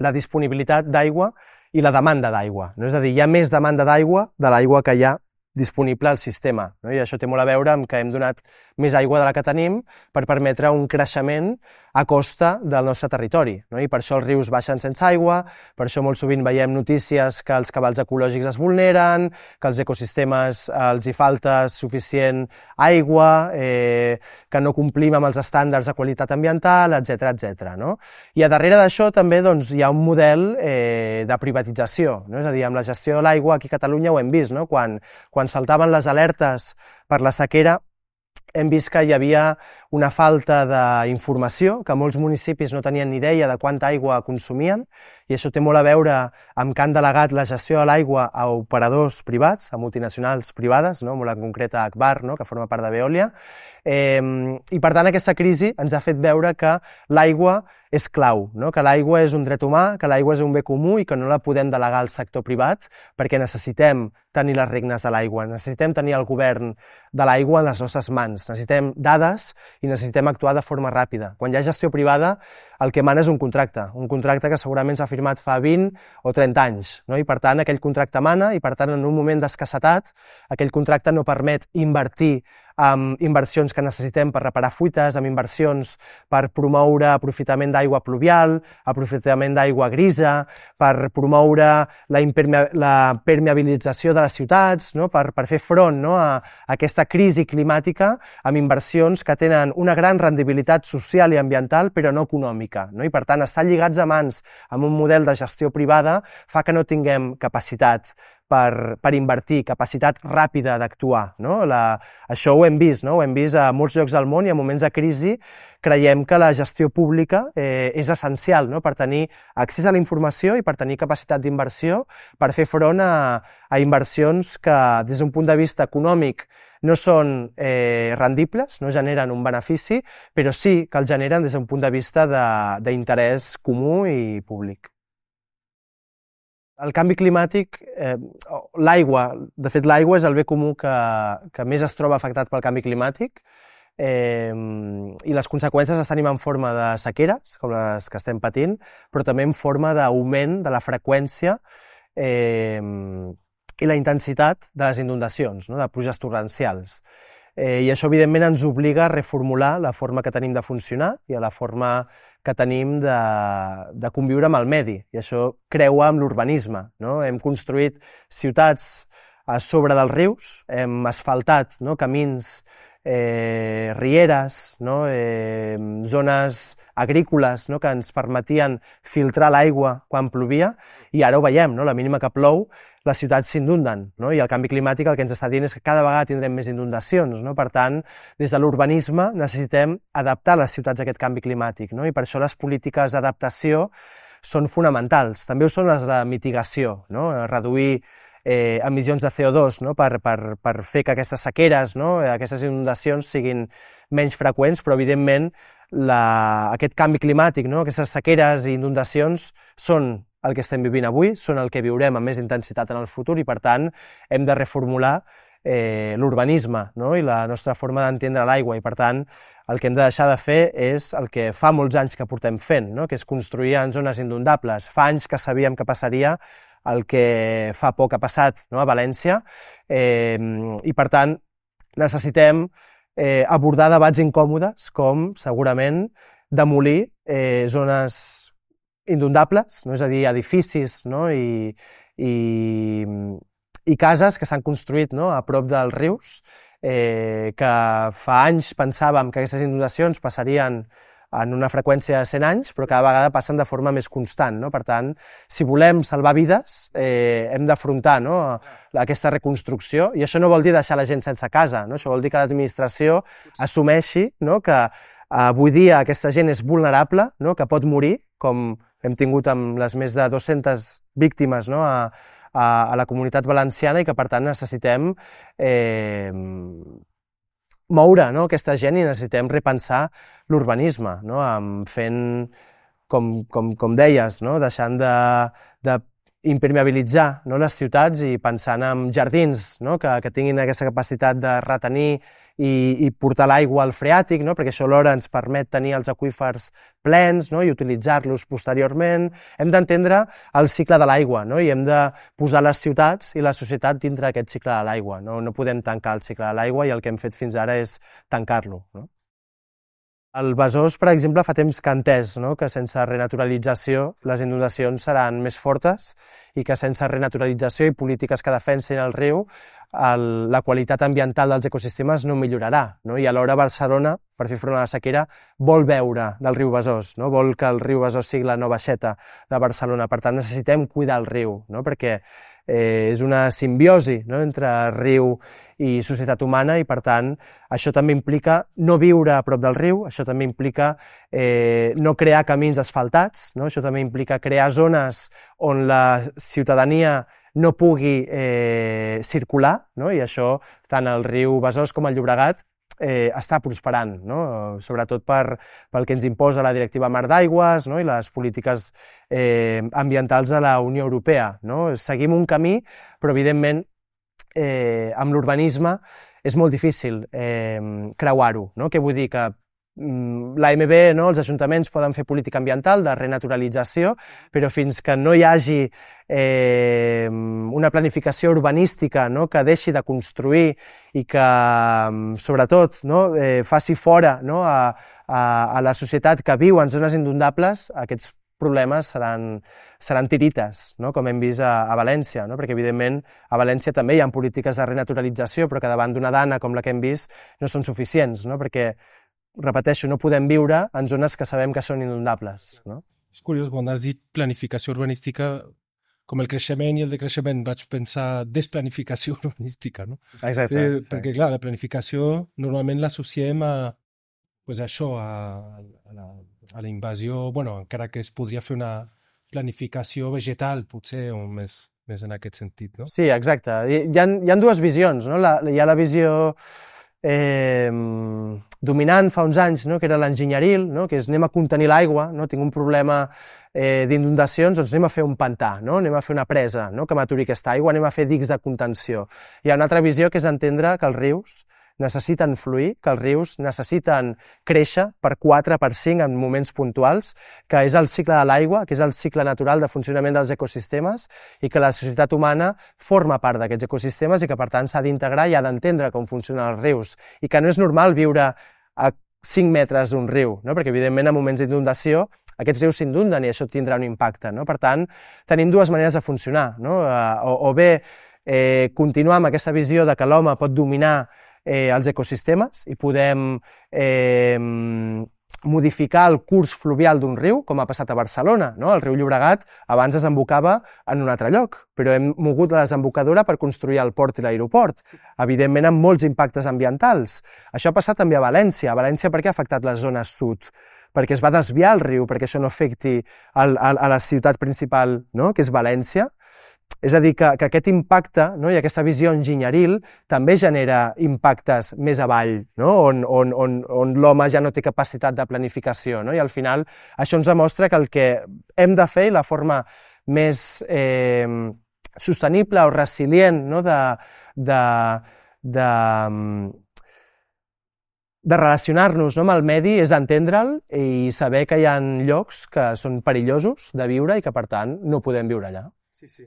la disponibilitat d'aigua i la demanda d'aigua, no? És a dir, hi ha més demanda d'aigua de l'aigua que hi ha disponible al sistema, no? I això té molt a veure amb que hem donat més aigua de la que tenim per permetre un creixement a costa del nostre territori, no? I per això els rius baixen sense aigua, per això molt sovint veiem notícies que els cabals ecològics es vulneren, que als ecosistemes els hi falta suficient aigua, que no complim amb els estàndards de qualitat ambiental, etc., no? I a darrere d'això també doncs, hi ha un model de privatització, no? És a dir, amb la gestió de l'aigua aquí a Catalunya ho hem vist, no? Quan saltaven les alertes per la sequera, hem vist que hi havia una falta d'informació, que molts municipis no tenien ni idea de quanta aigua consumien, i això té molt a veure amb que han delegat la gestió de l'aigua a operadors privats, a multinacionals privades, no? Molt en concret a Agbar, no? Que forma part de Veolia, i per tant aquesta crisi ens ha fet veure que l'aigua és clau, no? Que l'aigua és un dret humà, que l'aigua és un bé comú i que no la podem delegar al sector privat perquè necessitem tenir les regnes de l'aigua, necessitem tenir el govern de l'aigua en les nostres mans, necessitem dades i necessitem actuar de forma ràpida. Quan hi ha gestió privada, el que mana és un contracte que segurament s'ha firmat fa 20 o 30 anys, no? I per tant aquell contracte mana i per tant en un moment d'escassetat aquell contracte no permet invertir amb inversions que necessitem per reparar fuites, amb inversions per promoure aprofitament d'aigua pluvial, aprofitament d'aigua grisa, per promoure la permeabilització de les ciutats, no? Per fer front, no? A aquesta crisi climàtica amb inversions que tenen una gran rendibilitat social i ambiental però no econòmica, no? I per tant estar lligats a mans amb un model de gestió privada fa que no tinguem capacitat per invertir, capacitat ràpida d'actuar, no? Això ho hem vist, no? Ho hem vist a molts llocs del món i en moments de crisi creiem que la gestió pública és essencial, no? Per tenir accés a la informació i per tenir capacitat d'inversió per fer front a inversions que des d'un punt de vista econòmic no són rendibles, no generen un benefici, però sí que el generen des d'un punt de vista d'interès comú i públic. El canvi climàtic, l'aigua, de fet l'aigua és el bé comú que més es troba afectat pel canvi climàtic i les conseqüències es tenim en forma de sequeres, com les que estem patint, però també en forma d'augment de la freqüència i la intensitat de les inundacions, no? De pluges torrencials. I això, evidentment, ens obliga a reformular la forma que tenim de funcionar i a la forma que tenim de conviure amb el medi. I això creua amb l'urbanisme, no? Hem construït ciutats a sobre dels rius, hem asfaltat, no? Camins, rieres, no? Zones agrícoles, no? Que ens permetien filtrar l'aigua quan plovia i ara ho veiem, no? La mínima que plou, les ciutats s'inunden, no? I el canvi climàtic el que ens està dient és que cada vegada tindrem més inundacions, no? Per tant, des de l'urbanisme necessitem adaptar les ciutats a aquest canvi climàtic, no? I per això les polítiques d'adaptació són fonamentals. També ho són les de mitigació, no? Reduir emissions de CO2, no? Per fer que aquestes sequeres, no? Aquestes inundacions siguin menys freqüents, però evidentment aquest canvi climàtic, no? Aquestes sequeres i inundacions són el que estem vivint avui, són el que viurem amb més intensitat en el futur i per tant hem de reformular l'urbanisme, no? I la nostra forma d'entendre l'aigua i per tant el que hem de deixar de fer és el que fa molts anys que portem fent, no? Que és construir en zones inundables. Fa anys que sabíem que passaria el que fa poc ha passat, no? A València i per tant necessitem abordar debats incòmodes com segurament demolir zones inundables, no? És a dir, edificis, no? I cases que s'han construït, no? A prop dels rius, que fa anys pensàvem que aquestes inundacions passarien en una freqüència de 100 anys, però cada vegada passen de forma més constant, no? Per tant, si volem salvar vides, hem d'afrontar, no? Aquesta reconstrucció, i això no vol dir deixar la gent sense casa, no? Això vol dir que l'administració assumeixi, no? Que avui dia aquesta gent és vulnerable, no? Que pot morir, com hem tingut amb les més de 200 víctimes, no? a la comunitat valenciana i que, per tant, necessitem moure, no? Aquesta gent i necessitem repensar l'urbanisme, no? Fent, com deies, no? Deixant de impermeabilitzar, no? Les ciutats i pensant en jardins, no? que tinguin aquesta capacitat de retenir i portar l'aigua al freàtic, no? Perquè això alhora ens permet tenir els aqüífers plens, no? I utilitzar-los posteriorment. Hem d'entendre el cicle de l'aigua, no? I hem de posar les ciutats i la societat dintre d'aquest cicle de l'aigua. No podem tancar el cicle de l'aigua i el que hem fet fins ara és tancar-lo, no? El Besòs, per exemple, fa temps que ha entès, no? Que sense renaturalització les inundacions seran més fortes i que sense renaturalització i polítiques que defensin el riu la qualitat ambiental dels ecosistemes no millorarà, no? I alhora Barcelona, per fer front a la sequera, vol beure del riu Besòs, no? Vol que el riu Besòs sigui la nova Xeta de Barcelona. Per tant, necessitem cuidar el riu, no? Perquè és una simbiosi, no? Entre riu i societat humana i, per tant, això també implica no viure a prop del riu, això també implica no crear camins asfaltats, no? Això també implica crear zones on la ciutadania no pugui circular, no? I això, tant el riu Besòs com el Llobregat, està prosperant, no? Sobretot pel que ens imposa la Directiva Mar d'Aigües, no? I les polítiques ambientals de la Unió Europea, no? Seguim un camí, però evidentment amb l'urbanisme és molt difícil creuar-ho, no? Què vull dir? Que l'AMB, no? Els ajuntaments poden fer política ambiental de renaturalització, però fins que no hi hagi una planificació urbanística, no? Que deixi de construir i que, sobretot, no? Faci fora, no? a la societat que viu en zones inundables, aquests problemes seran tirites, no? Com hem vist a València, no? Perquè, evidentment, a València també hi ha polítiques de renaturalització, però que davant d'una dana com la que hem vist no són suficients, no? Perquè, repeteixo, no podem viure en zones que sabem que són inundables, no? És curiós, quan has dit planificació urbanística, com el creixement i el decreixement, vaig pensar desplanificació urbanística, no? Exacte. Sí. Perquè, clar, la planificació normalment l'associem a això, a la invasió, bueno, encara que es podria fer una planificació vegetal, potser, o més en aquest sentit, no? Sí, exacte. Hi ha dues visions, no? Hi ha la visió dominant fa uns anys, no? Que era l'enginyeril, no? Que és anem a contenir l'aigua, no? Tinc un problema d'inundacions, doncs anem a fer un pantà, no? Anem a fer una presa, no? Que m'aturi aquesta aigua, anem a fer dics de contenció. Hi ha una altra visió que és entendre que els rius necessiten fluir, que els rius necessiten créixer per 4, per 5 en moments puntuals, que és el cicle de l'aigua, que és el cicle natural de funcionament dels ecosistemes i que la societat humana forma part d'aquests ecosistemes i que, per tant, s'ha d'integrar i ha d'entendre com funcionen els rius i que no és normal viure a 5 metres d'un riu, no? Perquè, evidentment, en moments d'inundació aquests rius s'inunden i això tindrà un impacte, no? Per tant, tenim dues maneres de funcionar, no? O bé continuar amb aquesta visió de que l'home pot dominar els ecosistemes i podem modificar el curs fluvial d'un riu, com ha passat a Barcelona, no? El riu Llobregat abans desembocava en un altre lloc, però hem mogut la desembocadura per construir el port i l'aeroport, evidentment amb molts impactes ambientals. Això ha passat també a València. A València per què ha afectat la zona sud? Perquè es va desviar el riu, perquè això no afecti a la ciutat principal, no? Que és València. És a dir, que aquest impacte, no? I aquesta visió enginyeril també genera impactes més avall, no? on l'home ja no té capacitat de planificació, no? I al final això ens demostra que el que hem de fer i la forma més sostenible o resilient, no? de relacionar-nos, no? Amb el medi és entendre'l i saber que hi ha llocs que són perillosos de viure i que, per tant, no podem viure allà. Sí, sí.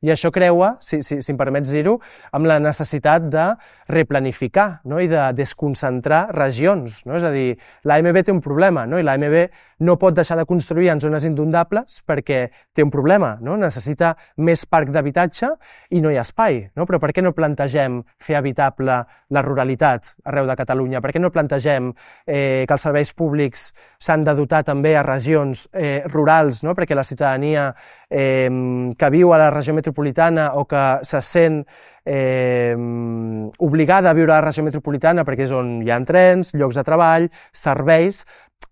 I això creua, si em permets dir-ho, amb la necessitat de replanificar, no? I de desconcentrar regions, no? És a dir, l'AMB té un problema, no? I l'AMB no pot deixar de construir en zones inundables perquè té un problema, no? Necessita més parc d'habitatge i no hi ha espai, no? Però per què no plantegem fer habitable la ruralitat arreu de Catalunya? Per què no plantegem que els serveis públics s'han de dotar també a regions rurals, no? Perquè la ciutadania que viu a la regió metropolitana o que se sent obligada a viure a la regió metropolitana perquè és on hi ha trens, llocs de treball, serveis,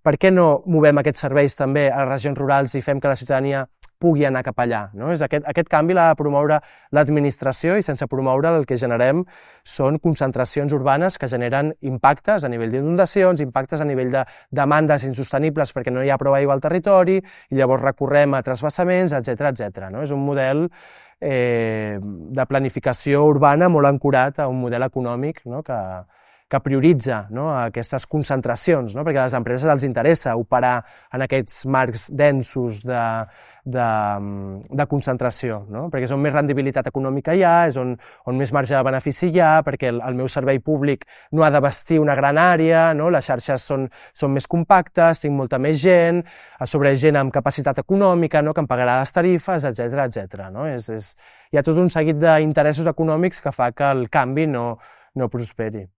per què no movem aquests serveis també a les regions rurals i fem que la ciutadania pugui anar cap allà, no? Aquest canvi l'ha de promoure l'administració i sense promoure el que generem són concentracions urbanes que generen impactes a nivell d'inundacions, impactes a nivell de demandes insostenibles perquè no hi ha prou aigua al territori i llavors recorrem a transvasaments, etc. No? És un model de planificació urbana molt ancorat a un model econòmic, no? que prioritza, no? Aquestes concentracions, no? Perquè a les empreses els interessa operar en aquests marcs densos de concentració, no? Perquè és on més rendibilitat econòmica hi ha, és on més marge de benefici hi ha, perquè el meu servei públic no ha de vestir una gran àrea, no? Les xarxes són més compactes, tinc molta més gent, a sobre gent amb capacitat econòmica, no? Que em pagarà les tarifes, etc. No? Hi ha tot un seguit d'interessos econòmics que fa que el canvi no prosperi.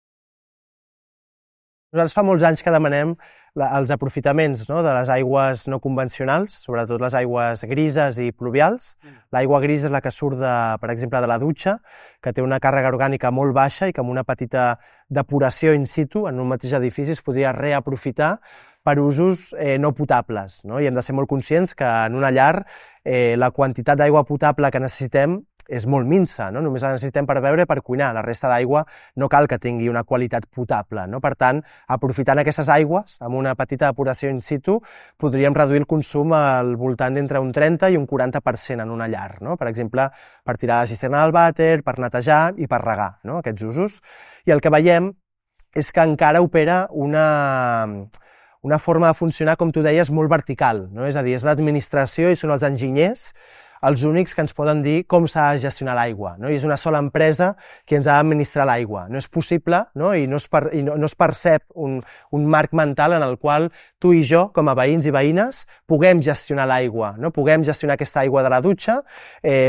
Nosaltres fa molts anys que demanem els aprofitaments, no? De les aigües no convencionals, sobretot les aigües grises i pluvials. L'aigua grisa és la que surt, per exemple, de la dutxa, que té una càrrega orgànica molt baixa i que amb una petita depuració in situ en un mateix edifici es podria reaprofitar per usos no potables, no? I hem de ser molt conscients que en una llar la quantitat d'aigua potable que necessitem és molt minsa, no? Només la necessitem per beure i per cuinar. La resta d'aigua no cal que tingui una qualitat potable, no? Per tant, aprofitant aquestes aigües, amb una petita depuració in situ, podríem reduir el consum al voltant d'entre un 30 i un 40% en una llar, no? Per exemple, per tirar la cisterna del vàter, per netejar i per regar, no? Aquests usos. I el que veiem és que encara opera una forma de funcionar, com tu deies, molt vertical, no? És a dir, és l'administració i són els enginyers els únics que ens poden dir com s'ha de gestionar l'aigua, no? I és una sola empresa que ens ha d'administrar l'aigua. No és possible, no? I no es percep un marc mental en el qual tu i jo, com a veïns i veïnes, puguem gestionar l'aigua, no? Puguem gestionar aquesta aigua de la dutxa,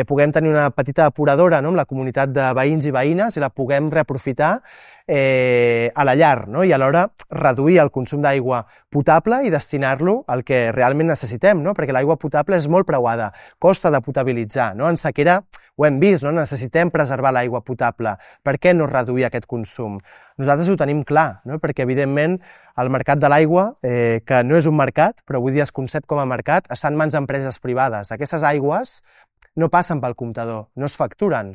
puguem tenir una petita depuradora, no? Amb la comunitat de veïns i veïnes i la puguem reaprofitar a la llar, no? I alhora reduir el consum d'aigua potable i destinar-lo al que realment necessitem, no? Perquè l'aigua potable és molt preuada, costa de potabilitzar, no? En sequera ho hem vist, no? Necessitem preservar l'aigua potable. Per què no reduir aquest consum? Nosaltres ho tenim clar, no? Perquè evidentment el mercat de l'aigua, que no és un mercat, però avui dia es concep com a mercat, està en mans d'empreses privades. Aquestes aigües no passen pel comptador, no es facturen.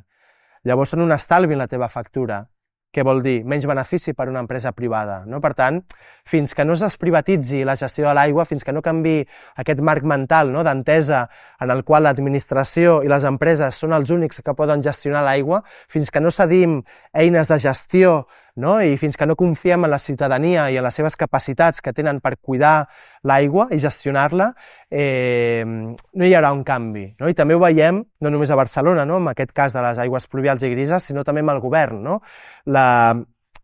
Llavors són un estalvi en la teva factura. Què vol dir? Menys benefici per una empresa privada, no? Per tant, fins que no es desprivatitzi la gestió de l'aigua, fins que no canvi aquest marc mental, no? D'entesa en el qual l'administració i les empreses són els únics que poden gestionar l'aigua, fins que no cedim eines de gestió, no? I fins que no confiem en la ciutadania i en les seves capacitats que tenen per cuidar l'aigua i gestionar-la, no hi haurà un canvi, no? I també ho veiem, no només a Barcelona, no? En aquest cas de les aigües pluvials i grises, sinó també amb el govern, no?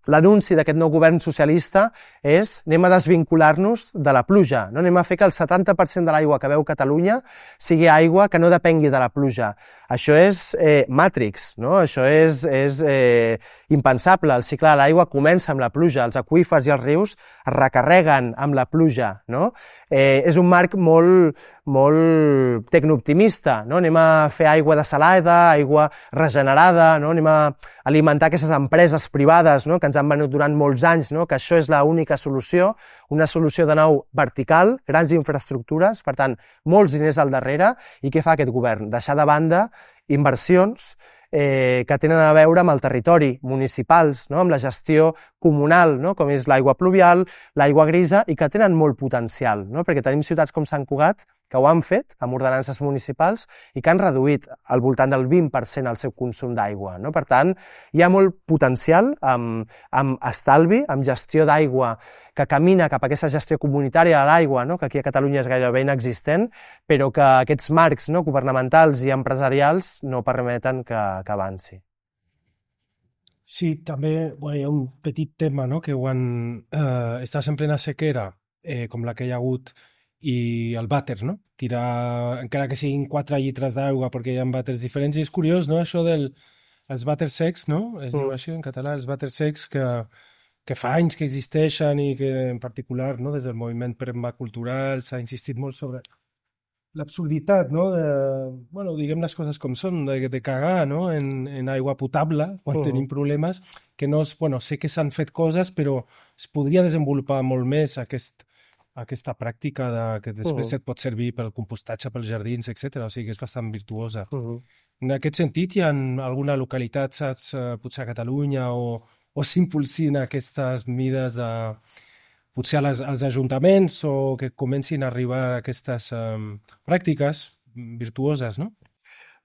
L'anunci d'aquest nou govern socialista és anem a desvincular-nos de la pluja, no? Anem a fer que el 70% de l'aigua que beu Catalunya sigui aigua que no depengui de la pluja. Això és Matrix, no? Això és impensable. El cicle de l'aigua comença amb la pluja, els aqüífers i els rius es recarreguen amb la pluja, no? És un marc molt tecnooptimista, no? Anem a fer aigua desalada, aigua regenerada, no? Anem a alimentar aquestes empreses privades, no? Que ens han venut durant molts anys, no? Que això és l'única solució, una solució de nou vertical, grans infraestructures, per tant, molts diners al darrere, i què fa aquest govern? Deixar de banda inversions que tenen a veure amb el territori, municipals, no? Amb la gestió comunal, no? Com és l'aigua pluvial, l'aigua grisa, i que tenen molt potencial, no? Perquè tenim ciutats com Sant Cugat que ho han fet amb ordenances municipals i que han reduït al voltant del 20% el seu consum d'aigua, no? Per tant, hi ha molt potencial amb estalvi, amb gestió d'aigua que camina cap a aquesta gestió comunitària de l'aigua, no? Que aquí a Catalunya és gairebé inexistent, però que aquests marcs, no? Governamentals i empresarials no permeten que avanci. Sí, també hi ha un petit tema, no? Que quan estàs en plena sequera, com la que hi ha hagut, i el vàter, no? Tirar, encara que siguin 4 litres d'aigua perquè hi ha vàters diferents, i és curiós, no? Això dels vàters secs, no? Es diu així en català, els vàters secs que fa anys que existeixen i que en particular, no? Des del moviment permacultural s'ha insistit molt sobre l'absurditat, no? Diguem les coses com són, de cagar, no? En aigua potable quan tenim problemes, que no és, sé que s'han fet coses, però es podria desenvolupar molt més aquesta pràctica que després et pot servir pel compostatge pels jardins, etc. O sigui que és bastant virtuosa. En aquest sentit, hi ha alguna localitat, saps, potser a Catalunya, o s'impulsin aquestes mides potser als ajuntaments o que comencin a arribar aquestes pràctiques virtuoses, no?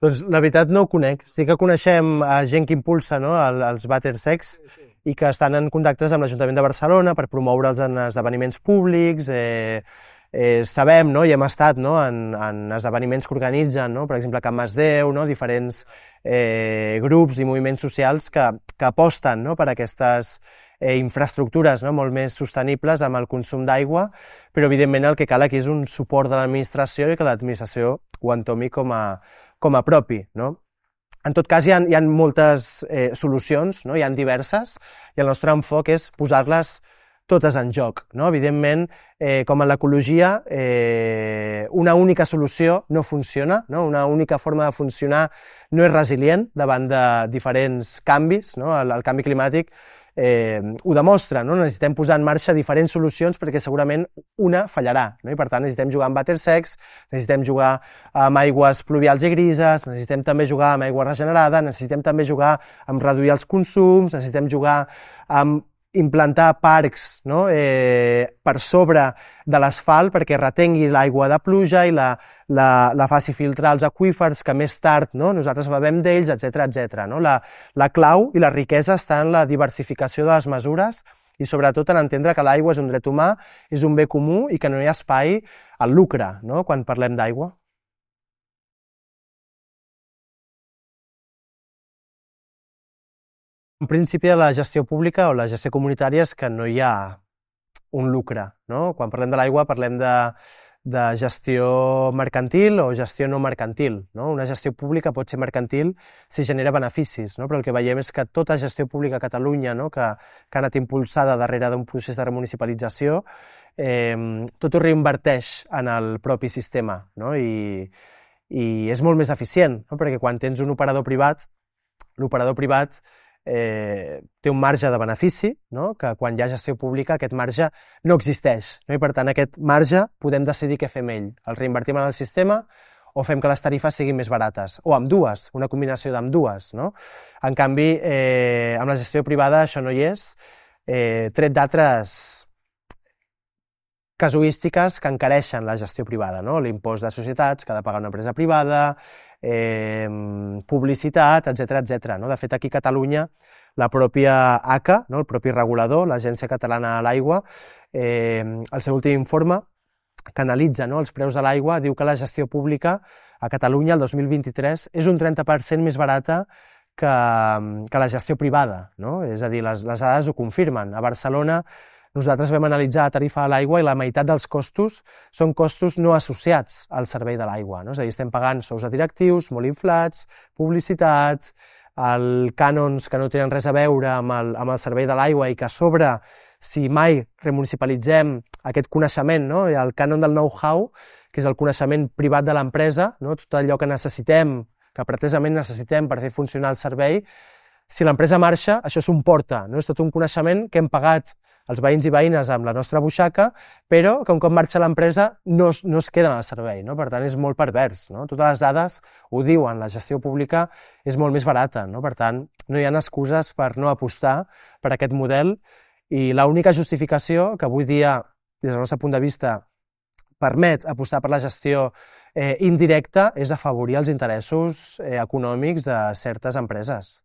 Doncs la veritat no ho conec. Sí que coneixem gent que impulsa, no, els vàters secs i que estan en contactes amb l'Ajuntament de Barcelona per promoure'ls en esdeveniments públics. Sabem, no, i hem estat, no, en esdeveniments que organitzen, no, per exemple, Can Masdeu, no, diferents grups i moviments socials que aposten, no, per aquestes infraestructures, no, molt més sostenibles amb el consum d'aigua, però evidentment el que cal aquí és un suport de l'administració i que l'administració ho entomi com a propi, no? En tot cas, hi ha moltes solucions, no? Hi ha diverses, i el nostre enfoc és posar-les totes en joc, no? Evidentment, com en l'ecologia, una única solució no funciona, no? Una única forma de funcionar no és resilient davant de diferents canvis, no? El canvi climàtic ho demostra, no? Necessitem posar en marxa diferents solucions perquè segurament una fallarà, no? I per tant necessitem jugar amb vàters secs, necessitem jugar amb aigües pluvials i grises, necessitem també jugar amb aigua regenerada, necessitem també jugar amb reduir els consums, necessitem jugar amb implantar parcs, no, per sobre de l'asfalt perquè retengui l'aigua de pluja i la faci filtrar els aqüífers que més tard, no, nosaltres bevem d'ells, etc. No? La clau i la riquesa està en la diversificació de les mesures i sobretot en entendre que l'aigua és un dret humà, és un bé comú i que no hi ha espai al lucre, no, quan parlem d'aigua. En principi, la gestió pública o la gestió comunitària és que no hi ha un lucre, no? Quan parlem de l'aigua parlem de gestió mercantil o gestió no mercantil, no? Una gestió pública pot ser mercantil si genera beneficis, no? Però el que veiem és que tota gestió pública a Catalunya, no? que ha anat impulsada darrere d'un procés de remunicipalització, tot ho reinverteix en el propi sistema, no? I és molt més eficient, no? Perquè quan tens un operador privat, l'operador privat té un marge de benefici, no? Que quan hi ha gestió pública aquest marge no existeix, no? I per tant aquest marge podem decidir què fem ell, el reinvertim en el sistema o fem que les tarifes siguin més barates, o amb dues, una combinació d'ambdues, no? En canvi, amb la gestió privada això no hi és, tret d'altres casuístiques que encareixen la gestió privada, no? L'impost de societats que ha de pagar una empresa privada, publicitat, etc. No? De fet, aquí a Catalunya, la pròpia ACA, no? El propi regulador, l'Agència Catalana de l'Aigua, el seu últim informe, que analitza, no, els preus de l'aigua, diu que la gestió pública a Catalunya el 2023 és un 30% més barata que la gestió privada, no? És a dir, les dades ho confirmen. A Barcelona nosaltres vam analitzar la tarifa de l'aigua i la meitat dels costos són costos no associats al servei de l'aigua, no? És a dir, estem pagant sous de directius molt inflats, publicitat, cànons que no tenen res a veure amb el servei de l'aigua i que a sobre, si mai remunicipalitzem aquest coneixement, no? El cànon del know-how, que és el coneixement privat de l'empresa, no? Tot allò que necessitem, que pretesament necessitem per fer funcionar el servei, si l'empresa marxa, això s'emporta, no? És tot un coneixement que hem pagat els veïns i veïnes amb la nostra butxaca, però que un cop marxa l'empresa no es queden al servei, no? Per tant, és molt pervers, no? Totes les dades ho diuen, la gestió pública és molt més barata, no? Per tant, no hi ha excuses per no apostar per aquest model i l'única justificació que avui dia, des del nostre punt de vista, permet apostar per la gestió indirecta és afavorir els interessos econòmics de certes empreses.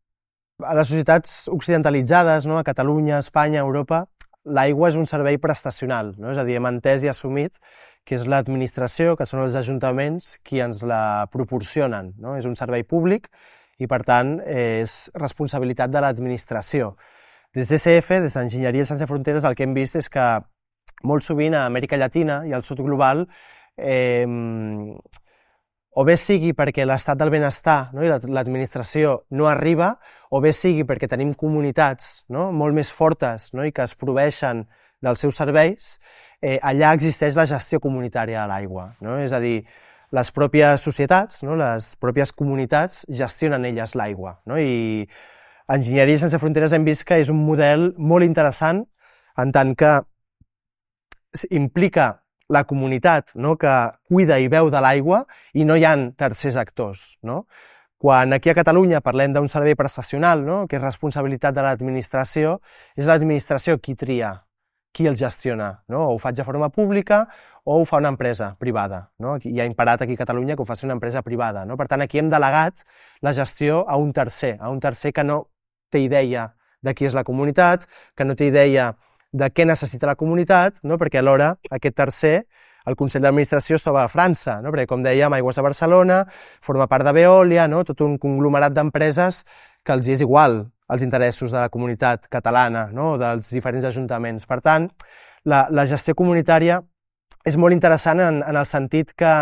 A les societats occidentalitzades, no? A Catalunya, Espanya, Europa, l'aigua és un servei prestacional, no? És a dir, hem entès i assumit que és l'administració, que són els ajuntaments, qui ens la proporcionen, no? És un servei públic i, per tant, és responsabilitat de l'administració. Des d'ECF, des d'Enginyeria Sense Fronteres, el que hem vist és que molt sovint a Amèrica Llatina i al sud global o bé sigui perquè l'estat del benestar, no, i l'administració no arriba, o bé sigui perquè tenim comunitats, no, molt més fortes, no, i que es proveeixen dels seus serveis, allà existeix la gestió comunitària de l'aigua, no? És a dir, les pròpies societats, no, les pròpies comunitats gestionen elles l'aigua, no? I Enginyeria Sense Fronteres hem vist que és un model molt interessant en tant que implica la comunitat, no?, que cuida i beu de l'aigua i no hi ha tercers actors, no? Quan aquí a Catalunya parlem d'un servei prestacional, no?, que és responsabilitat de l'administració, és l'administració qui tria, qui el gestiona, no? O ho faig de forma pública o ho fa una empresa privada, no? Hi ha imparat aquí a Catalunya que ho faci una empresa privada, no? Per tant, aquí hem delegat la gestió a un tercer que no té idea de qui és la comunitat, que no té idea de què necessita la comunitat, no? Perquè alhora aquest tercer, el Consell d'Administració, es troba a França, no? Perquè, com dèiem, Aigües de Barcelona forma part de Veolia, no? Tot un conglomerat d'empreses que els és igual els interessos de la comunitat catalana, no? Dels diferents ajuntaments. Per tant, la gestió comunitària és molt interessant en el sentit que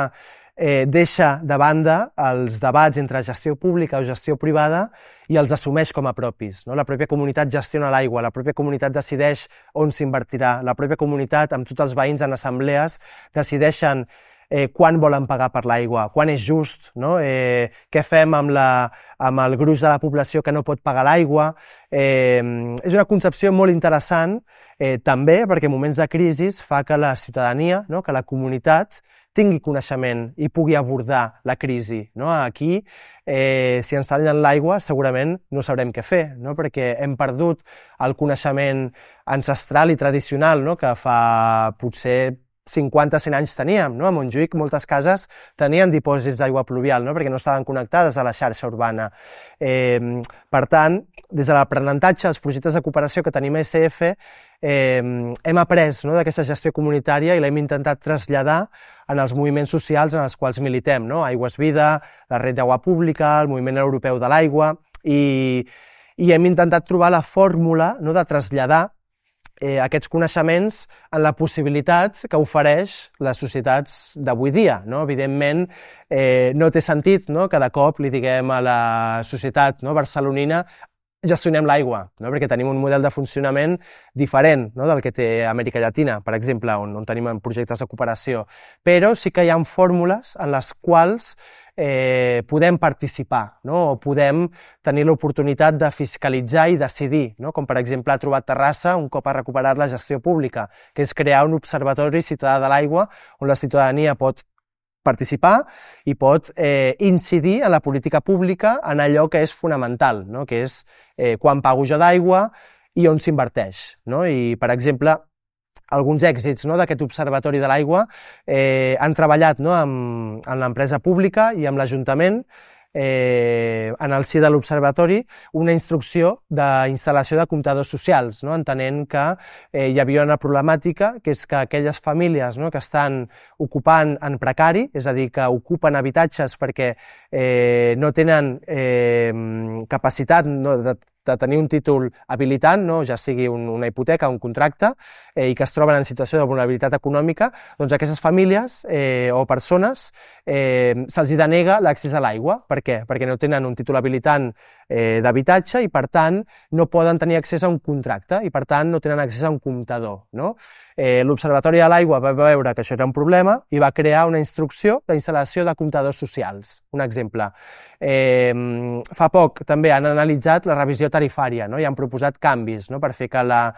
deixa de banda els debats entre gestió pública o gestió privada i els assumeix com a propis, no? La pròpia comunitat gestiona l'aigua, la pròpia comunitat decideix on s'invertirà, la pròpia comunitat, amb tots els veïns en assemblees, decideixen quan volen pagar per l'aigua, quan és just, no? Què fem amb el gruix de la població que no pot pagar l'aigua. És una concepció molt interessant, també perquè en moments de crisi fa que la ciutadania, no?, que la comunitat tingui coneixement i pugui abordar la crisi, no? Aquí, si ens tallen l'aigua, segurament no sabrem què fer, no? Perquè hem perdut el coneixement ancestral i tradicional, no?, que fa potser 50-100 anys teníem, no? A Montjuïc moltes cases tenien dipòsits d'aigua pluvial, no?, perquè no estaven connectades a la xarxa urbana. Per tant, des de l'aprenentatge, els projectes de cooperació que tenim a ECF, hem après, no?, d'aquesta gestió comunitària i l'hem intentat traslladar en els moviments socials en els quals militem, no? Aigües Vida, la Red d'Aigua Pública, el Moviment Europeu de l'Aigua, i hem intentat trobar la fórmula, no?, de traslladar aquests coneixements en la possibilitat que ofereix les societats d'avui dia, no? Evidentment, no té sentit, no?, que de cop li diguem a la societat, no?, barcelonina gestionem l'aigua, no?, perquè tenim un model de funcionament diferent, no?, del que té Amèrica Llatina, per exemple, on tenim projectes de cooperació, però sí que hi ha fórmules en les quals podem participar, no?, o podem tenir l'oportunitat de fiscalitzar i decidir, no?, com per exemple ha trobat Terrassa un cop ha recuperat la gestió pública, que és crear un observatori ciutadà de l'aigua on la ciutadania pot participar i pot incidir en la política pública en allò que és fonamental, no?, que és quan pago jo d'aigua i on s'inverteix, no? I, per exemple, alguns èxits, no?, d'aquest observatori de l'aigua han treballat, no?, amb l'empresa pública i amb l'Ajuntament en el si de l'observatori una instrucció d'instal·lació de comptadors socials, no?, entenent que hi havia una problemàtica, que és que aquelles famílies, no?, que estan ocupant en precari, és a dir, que ocupen habitatges perquè no tenen capacitat, no?, de tenir un títol habilitant, no?, ja sigui una hipoteca, un contracte, i que es troben en situació de vulnerabilitat econòmica, doncs a aquestes famílies o persones se'ls denega l'accés a l'aigua. Per què? Perquè no tenen un títol habilitant d'habitatge i, per tant, no poden tenir accés a un contracte i, per tant, no tenen accés a un comptador, no? L'Observatori de l'Aigua va veure que això era un problema i va crear una instrucció d'instal·lació de comptadors socials. Un exemple. Fa poc també han analitzat la revisió tarifària, no?, i han proposat canvis, no?, per fer que la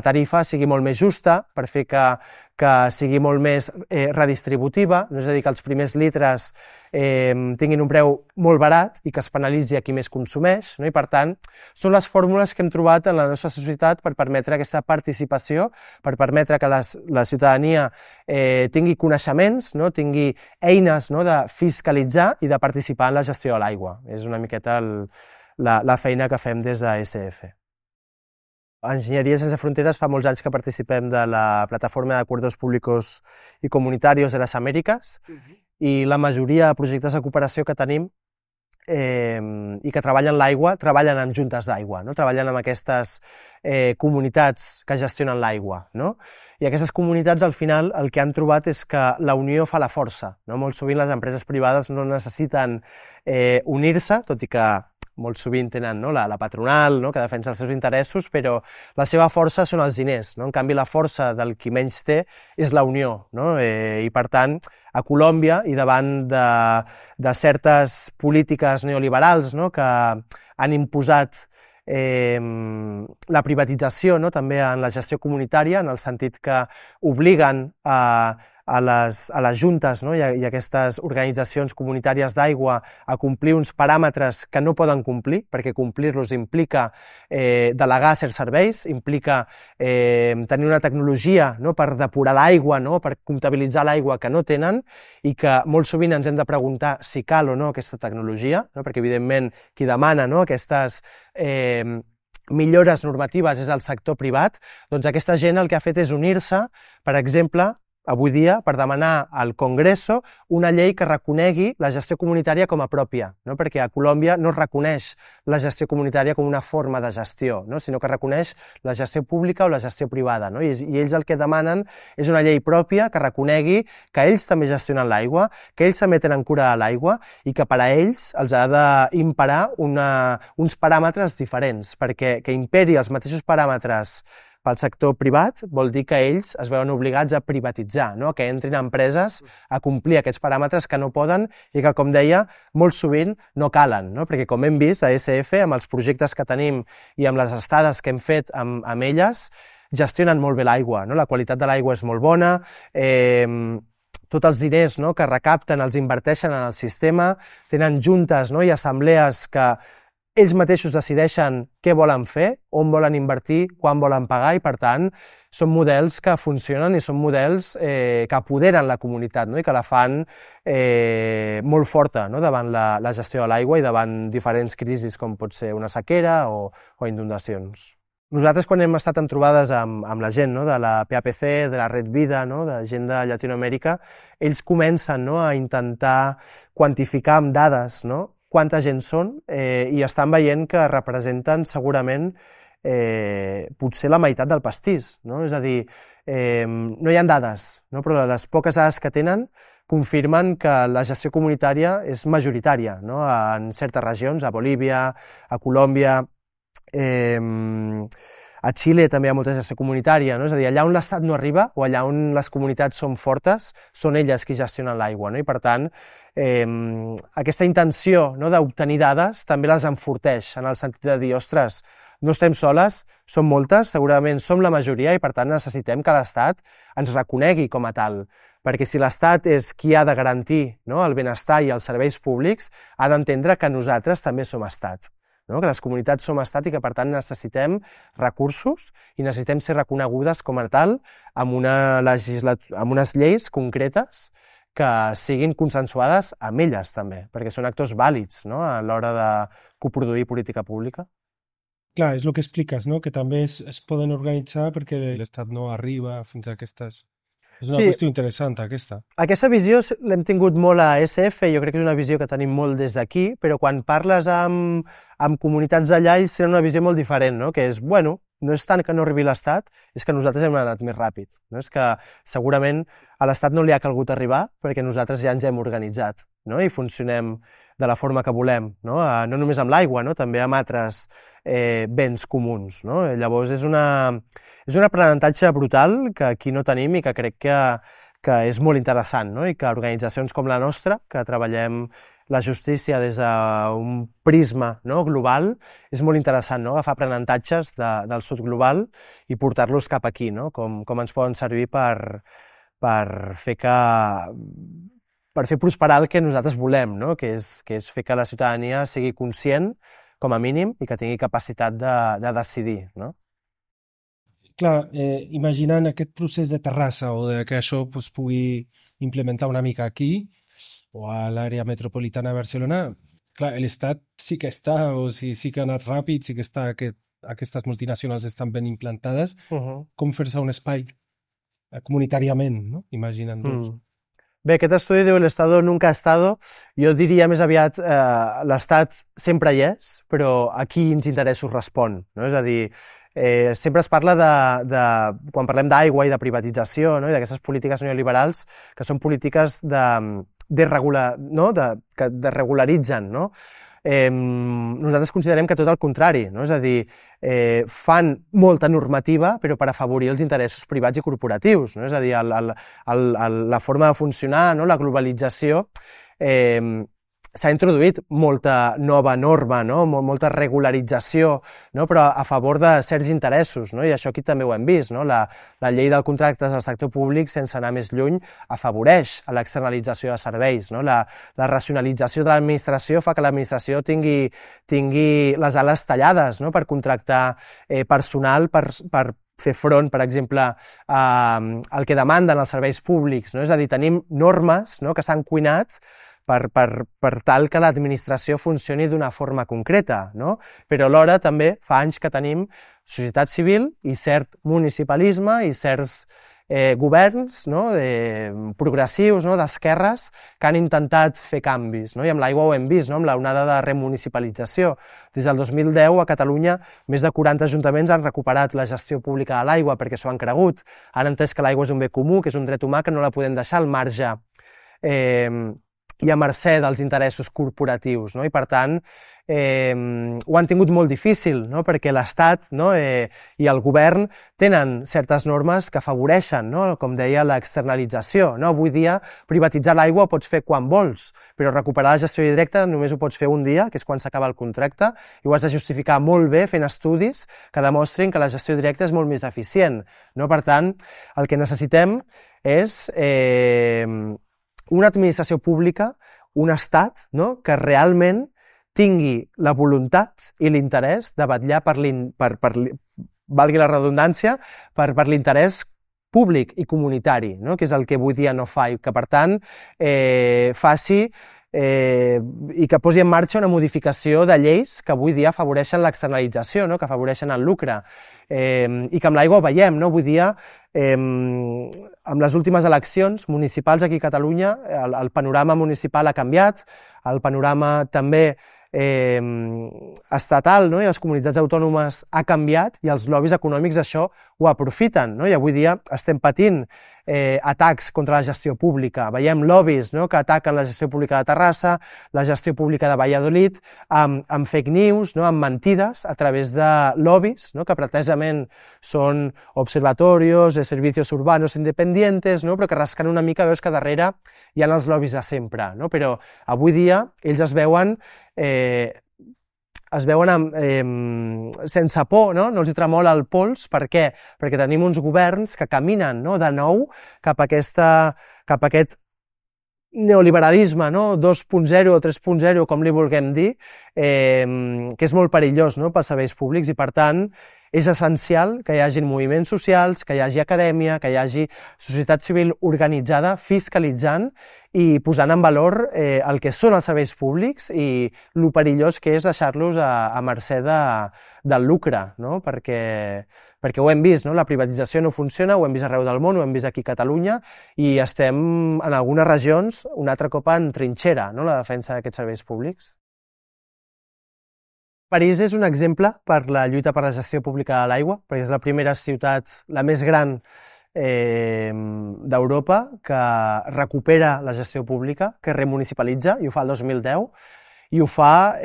tarifa sigui molt més justa, per fer que sigui molt més redistributiva, no? És a dir, que els primers litres tinguin un preu molt barat i que es penalitzi a qui més consumeix, no? I, per tant, són les fórmules que hem trobat en la nostra societat per permetre aquesta participació, per permetre que la ciutadania tingui coneixements, no?, tingui eines, no?, de fiscalitzar i de participar en la gestió de l'aigua. És una miqueta la feina que fem des de ECF. A Enginyeria Sense Fronteres fa molts anys que participem de la plataforma d'Acuerdos Públicos y Comunitarios de las Américas i la majoria de projectes de cooperació que tenim i que treballen l'aigua, treballen amb juntes d'aigua, no? Treballen amb aquestes comunitats que gestionen l'aigua, no? I aquestes comunitats, al final, el que han trobat és que la unió fa la força, no? Molt sovint les empreses privades no necessiten unir-se, tot i que molt sovint tenen, no?, la patronal, no?, que defensa els seus interessos, però la seva força són els diners, no? En canvi, la força del qui menys té és la unió, no? I, per tant, a Colòmbia, i davant de certes polítiques neoliberals, no?, que han imposat la privatització, no? També en la gestió comunitària, en el sentit que obliguen a les juntes, no? I a aquestes organitzacions comunitàries d'aigua a complir uns paràmetres que no poden complir, perquè complir-los implica delegar certs serveis, implica tenir una tecnologia, no? Per depurar l'aigua, no? Per comptabilitzar l'aigua que no tenen i que molt sovint ens hem de preguntar si cal o no aquesta tecnologia, no? Perquè evidentment qui demana, no? Aquestes millores normatives és el sector privat, doncs aquesta gent el que ha fet és unir-se, per exemple, avui dia, per demanar al Congreso una llei que reconegui la gestió comunitària com a pròpia, no? Perquè a Colòmbia no es reconeix la gestió comunitària com una forma de gestió, no? Sinó que reconeix la gestió pública o la gestió privada, no? I ells el que demanen és una llei pròpia que reconegui que ells també gestionen l'aigua, que ells també tenen cura de l'aigua i que per a ells els ha d'imperar uns paràmetres diferents, perquè que imperi els mateixos paràmetres pel sector privat vol dir que ells es veuen obligats a privatitzar, no? Que entrin empreses a complir aquests paràmetres que no poden i que, com deia, molt sovint no calen, no? Perquè, com hem vist a ESF, amb els projectes que tenim i amb les estades que hem fet amb elles, gestionen molt bé l'aigua, no? La qualitat de l'aigua és molt bona, tots els diners, no? Que recapten els inverteixen en el sistema, tenen juntes, no? I assemblees que ells mateixos decideixen què volen fer, on volen invertir, quan volen pagar i, per tant, són models que funcionen i són models que apoderen la comunitat, no? I que la fan molt forta, no? Davant la gestió de l'aigua i davant diferents crisis com pot ser una sequera o inundacions. Nosaltres, quan hem estat en trobades amb la gent, no? De la PAPC, de la Red Vida, no? De gent de Llatinoamèrica, ells comencen, no? A intentar quantificar amb dades, no? Quanta gent són, i estan veient que representen segurament potser la meitat del pastís, no? És a dir, no hi ha dades, no? Però les poques dades que tenen confirmen que la gestió comunitària és majoritària, no? En certes regions, a Bolívia, a Colòmbia, a Xile també hi ha molta gestió comunitària, no? És a dir, allà on l'Estat no arriba o allà on les comunitats són fortes, són elles qui gestionen l'aigua, no? I per tant, aquesta intenció, no? D'obtenir dades també les enforteix en el sentit de dir, ostres, no estem soles, som moltes, segurament som la majoria i per tant necessitem que l'Estat ens reconegui com a tal, perquè si l'Estat és qui ha de garantir, no? El benestar i els serveis públics, ha d'entendre que nosaltres també som Estat. No? Que les comunitats som estat i que, per tant, necessitem recursos i necessitem ser reconegudes com a tal amb unes lleis concretes que siguin consensuades amb elles, també, perquè són actors vàlids, no? A l'hora de coproduir política pública. Clar, és el que expliques, no? Que també es poden organitzar perquè l'Estat no arriba fins a aquestes... És una qüestió interessant, aquesta. Aquesta visió l'hem tingut molt a ESF, jo crec que és una visió que tenim molt des d'aquí, però quan parles amb comunitats d'allà, ells tenen una visió molt diferent, no? Que és, bueno, no és tant que no arribi l'Estat, és que nosaltres hem anat més ràpid, no? És que segurament a l'Estat no li ha calgut arribar perquè nosaltres ja ens hem organitzat, no? I funcionem de la forma que volem, no? No només amb l'aigua, no? També amb altres béns comuns, no? Llavors és un aprenentatge brutal que aquí no tenim i que crec que és molt interessant, no? I que organitzacions com la nostra, que treballem la justícia des d'un prisma, no? Global, és molt interessant, no? Agafar aprenentatges del sud global i portar-los cap aquí, no? Com ens poden servir per fer prosperar el que nosaltres volem, no? Que és fer que la ciutadania sigui conscient, com a mínim, i que tingui capacitat de decidir, no? Clar, imaginant aquest procés de Terrassa o que això es pugui implementar una mica aquí o a l'àrea metropolitana de Barcelona, clar, l'Estat sí que està, o sí que ha anat ràpid, sí que està, aquestes multinacionals estan ben implantades, com fer-se un espai comunitàriament, no? Imaginant-nos. Bé, aquest estudi diu el Estado nunca ha estado, jo diria més aviat l'Estat sempre hi és, però a quins interessos respon, no? És a dir, sempre es parla quan parlem d'aigua i de privatització, no? I d'aquestes polítiques neoliberals que són polítiques que desregularitzen, no? Nosaltres considerem que tot el contrari, no? És a dir, fan molta normativa però per afavorir els interessos privats i corporatius, no? És a dir, la forma de funcionar, no? La globalització s'ha introduït molta nova norma, no? Molta regularització, no? Però a favor de certs interessos, no? I això aquí també ho hem vist, no? La llei del contractes del sector públic, sense anar més lluny, afavoreix a l'externalització de serveis, no? La racionalització de l'administració fa que l'administració tingui les ales tallades, no? Per contractar personal, per fer front, per exemple, al que demanden els serveis públics, no? És a dir, tenim normes, no? Que s'han cuinat per tal que l'administració funcioni d'una forma concreta, no? Però alhora també fa anys que tenim societat civil i cert municipalisme i certs governs, no? Progressius, no? D'esquerres que han intentat fer canvis, no? I amb l'aigua ho hem vist, no? Amb l'onada de remunicipalització. Des del 2010 a Catalunya més de 40 ajuntaments han recuperat la gestió pública de l'aigua perquè s'ho han cregut. Han entès que l'aigua és un bé comú, que és un dret humà, que no la podem deixar al marge i a mercè dels interessos corporatius, no? I per tant ho han tingut molt difícil, no? Perquè l'Estat, no? I el govern tenen certes normes que afavoreixen, no? Com deia, l'externalització, no? Avui dia privatitzar l'aigua ho pots fer quan vols, però recuperar la gestió directa només ho pots fer un dia, que és quan s'acaba el contracte, i ho has de justificar molt bé fent estudis que demostrin que la gestió directa és molt més eficient, no? Per tant, el que necessitem és una administració pública, un estat, no? Que realment tingui la voluntat i l'interès de vetllar valgui la redundància, per l'interès públic i comunitari, no? Que és el que avui dia no fa, i que per tant faci i que posi en marxa una modificació de lleis que avui dia afavoreixen l'externalització, no? Que afavoreixen el lucre, i que amb l'aigua ho veiem, no? Avui dia, amb les últimes eleccions municipals aquí a Catalunya, el panorama municipal ha canviat, el panorama també estatal, no? I les comunitats autònomes ha canviat, i els lobbies econòmics això ho aprofiten, no? I avui dia estem patint atacs contra la gestió pública. Veiem lobbies, no? Que ataquen la gestió pública de Terrassa, la gestió pública de Valladolid, amb fake news, no? Amb mentides a través de lobbies, no? Que pretesament són observatorios, servicios urbanos independientes, no? Però que rascant una mica veus que darrere hi ha els lobbies de sempre, no? Però avui dia ells es veuen sense por, no? No els hi tremola el pols. Per què? Perquè tenim uns governs que caminen, no? De nou cap a aquest neoliberalisme, no? 2.0 o 3.0, com li vulguem dir, que és molt perillós, no? Pels serveis públics, i per tant és essencial que hi hagi moviments socials, que hi hagi acadèmia, que hi hagi societat civil organitzada, fiscalitzant i posant en valor el que són els serveis públics i lo perillós que és deixar-los a mercè del lucre, no? Perquè ho hem vist, no? La privatització no funciona, ho hem vist arreu del món, ho hem vist aquí a Catalunya, i estem en algunes regions un altre cop en trinxera, no? La defensa d'aquests serveis públics. París és un exemple per la lluita per la gestió pública de l'aigua, perquè és la primera ciutat, la més gran d'Europa, que recupera la gestió pública, que remunicipalitza, i ho fa el 2010, i ho fa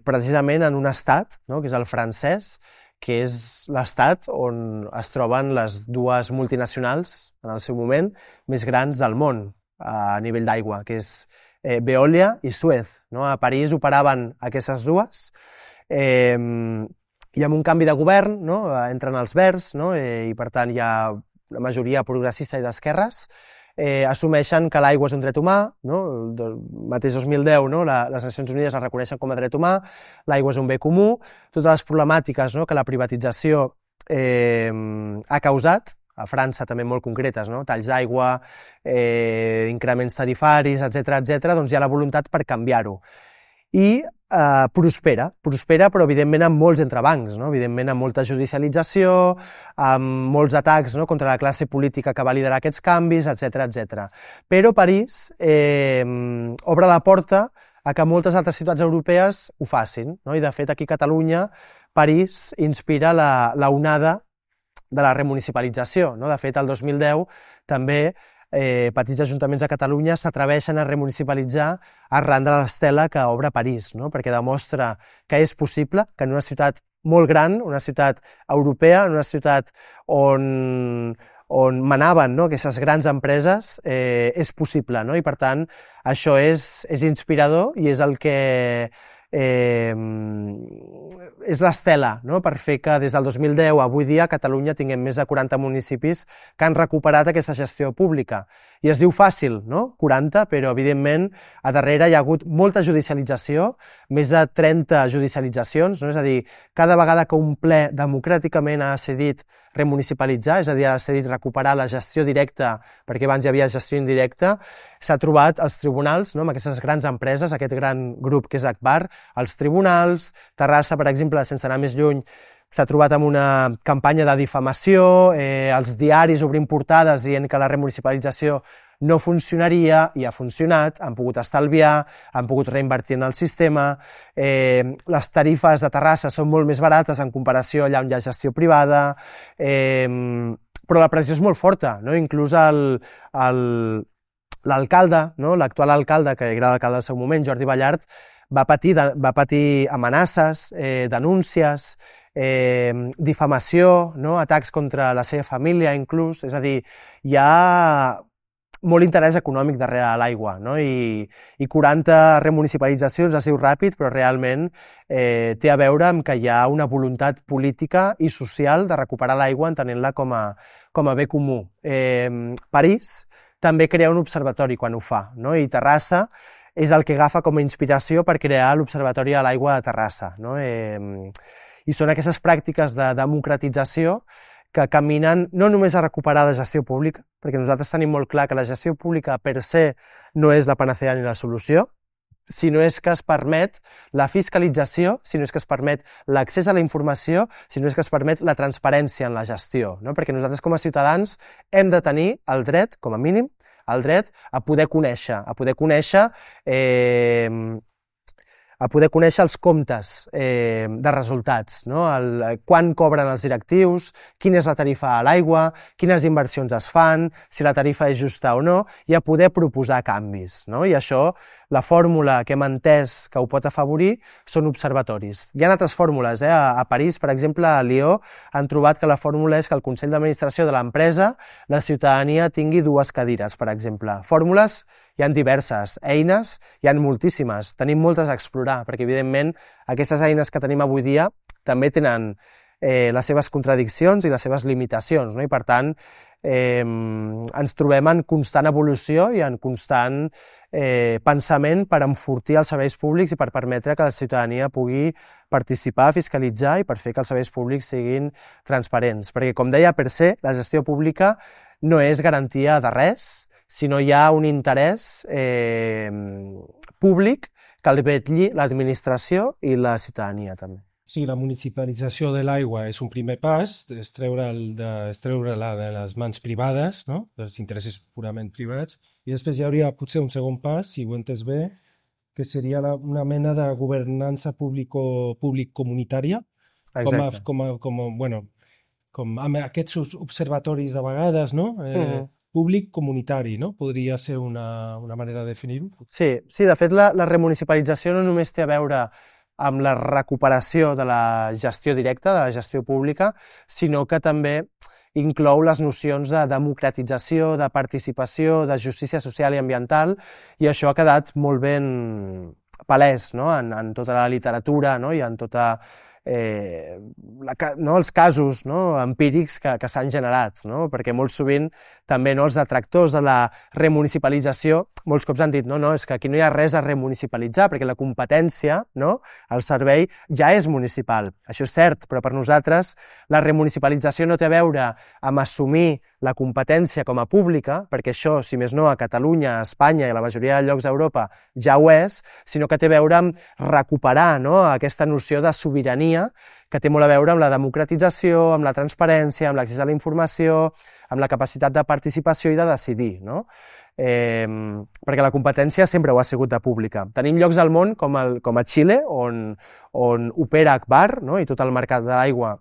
precisament en un estat, no? Que és el francès, que és l'estat on es troben les dues multinacionals, en el seu moment, més grans del món a nivell d'aigua, que és Veolia i Suez, no? A París operaven aquestes dues, i amb un canvi de govern, no? Entren els verds, no? I per tant hi ha una majoria progressista i d'esquerres, assumeixen que l'aigua és un dret humà, no? El mateix 2010, no? Les Nacions Unides la reconeixen com a dret humà, l'aigua és un bé comú, totes les problemàtiques, no? Que la privatització ha causat, a França també molt concretes, no? Talls d'aigua, increments tarifaris, etc, doncs hi ha la voluntat per canviar-ho. I prospera, però evidentment amb molts entrebancs, no? Evidentment amb molta judicialització, amb molts atacs, no? Contra la classe política que va liderar aquests canvis, etc. Però París obre la porta a que moltes altres ciutats europees ho facin, no? I de fet aquí a Catalunya París inspira la onada de la remunicipalització, no? De fet el 2010 també petits ajuntaments a Catalunya s'atreveixen a remunicipalitzar arran de l'estela que obre París, no? Perquè demostra que és possible que en una ciutat molt gran, una ciutat europea, en una ciutat on on manaven, no, aquestes grans empreses, és possible, no? I per tant això és inspirador i és el que és l'estela, no?, per fer que des del 2010 a avui dia a Catalunya tinguem més de 40 municipis que han recuperat aquesta gestió pública. I es diu fàcil, no?, 40, però evidentment a darrere hi ha hagut molta judicialització, més de 30 judicialitzacions, no? És a dir, cada vegada que un ple democràticament ha decidit remunicipalitzar, és a dir, ha decidit recuperar la gestió directa, perquè abans hi havia gestió indirecta, s'ha trobat als tribunals, no?, amb aquestes grans empreses, aquest gran grup que és Agbar, als tribunals. Terrassa, per exemple, sense anar més lluny, s'ha trobat amb una campanya de difamació, els diaris obrint portades dient que la remunicipalització no funcionaria i ha funcionat, han pogut estalviar, han pogut reinvertir en el sistema, les tarifes de Terrassa són molt més barates en comparació allà on hi ha gestió privada, però la pressió és molt forta, no? Inclús l'alcalde, no?, l'actual alcalde, que era l'alcalde del seu moment, Jordi Ballart, va patir amenaces, denúncies, difamació, no?, atacs contra la seva família inclús, és a dir, hi ha molt interès econòmic darrere l'aigua, no? I 40 remunicipalitzacions es diu ràpid, però realment té a veure amb que hi ha una voluntat política i social de recuperar l'aigua entenent-la com a bé comú. París també crea un observatori quan ho fa, no? I Terrassa és el que agafa com a inspiració per crear l'Observatori de l'Aigua de Terrassa, no? I són aquestes pràctiques de democratització que caminen no només a recuperar la gestió pública, perquè nosaltres tenim molt clar que la gestió pública per se no és la panacea ni la solució, sinó és que es permet la fiscalització, sinó és que es permet l'accés a la informació, sinó és que es permet la transparència en la gestió, no? Perquè nosaltres com a ciutadans hem de tenir el dret, com a mínim, el dret a poder conèixer els comptes de resultats, no? Quan cobren els directius, quina és la tarifa a l'aigua, quines inversions es fan, si la tarifa és justa o no, i a poder proposar canvis, no? I això, la fórmula que hem entès que ho pot afavorir són observatoris. Hi ha altres fórmules, a París, per exemple, a Lió, han trobat que la fórmula és que el Consell d'Administració de l'empresa, la ciutadania tingui 2 cadires, per exemple. Fórmules hi ha diverses, eines hi ha moltíssimes, tenim moltes a explorar, perquè evidentment aquestes eines que tenim avui dia també tenen les seves contradiccions i les seves limitacions, no? I per tant ens trobem en constant evolució i en constant pensament per enfortir els serveis públics i per permetre que la ciutadania pugui participar, fiscalitzar i per fer que els serveis públics siguin transparents. Perquè, com deia, per se, la gestió pública no és garantia de res, sinó hi ha un interès públic que el vetlli l'administració i la ciutadania també. Sí, la municipalització de l'aigua és un primer pas, és treure-la de les mans privades, no?, dels interessos purament privats, i després hi hauria potser un segon pas, si ho he entès bé, que seria una mena de governança públic-comunitària, com amb aquests observatoris de vegades, no?, públic-comunitari, no? Podria ser una manera de definir-ho? Sí, de fet la remunicipalització no només té a veure amb la recuperació de la gestió directa, de la gestió pública, sinó que també inclou les nocions de democratització, de participació, de justícia social i ambiental, i això ha quedat molt ben palès, no?, en tota la literatura, no?, i en tota els casos, no?, empírics que s'han generat, no? Perquè molt sovint també, no, els detractors de la remunicipalització molts cops han dit no, és que aquí no hi ha res a remunicipalitzar perquè la competència, no?, el servei ja és municipal. Això és cert, però per nosaltres la remunicipalització no té a veure amb assumir la competència com a pública, perquè això, si més no, a Catalunya, a Espanya i a la majoria de llocs d'Europa ja ho és, sinó que té a veure amb recuperar, no?, aquesta noció de sobirania que té molt a veure amb la democratització, amb la transparència, amb l'accés a la informació, amb la capacitat de participació i de decidir, no? Perquè la competència sempre ho ha sigut de pública. Tenim llocs al món com a Xile, on opera Agbar, no?, i tot el mercat de l'aigua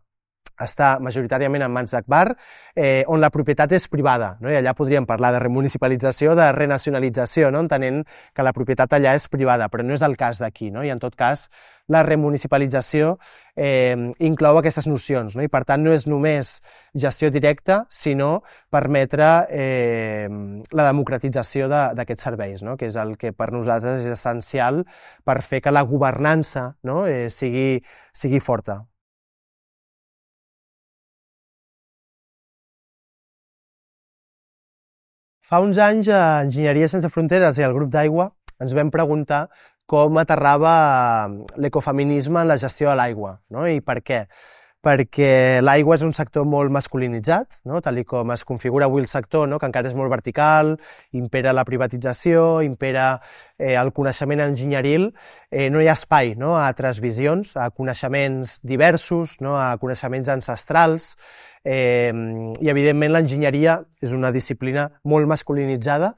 està majoritàriament en mans d'Agbar, on la propietat és privada, no? I allà podríem parlar de remunicipalització, de renacionalització, no?, entenent que la propietat allà és privada, però no és el cas d'aquí, no? I en tot cas la remunicipalització inclou aquestes nocions, no? I per tant no és només gestió directa, sinó permetre la democratització d'aquests serveis, no? Que és el que per nosaltres és essencial per fer que la governança, no? sigui forta. Fa uns anys a Enginyeria Sense Fronteres i al grup d'aigua ens vam preguntar com aterrava l'ecofeminisme en la gestió de l'aigua, no? I per què? Perquè l'aigua és un sector molt masculinitzat, no? Tal com es configura avui el sector, no? Que encara és molt vertical, impera la privatització, impera el coneixement enginyeril, no hi ha espai, no? A altres visions, a coneixements diversos, no? A coneixements ancestrals, i evidentment l'enginyeria és una disciplina molt masculinitzada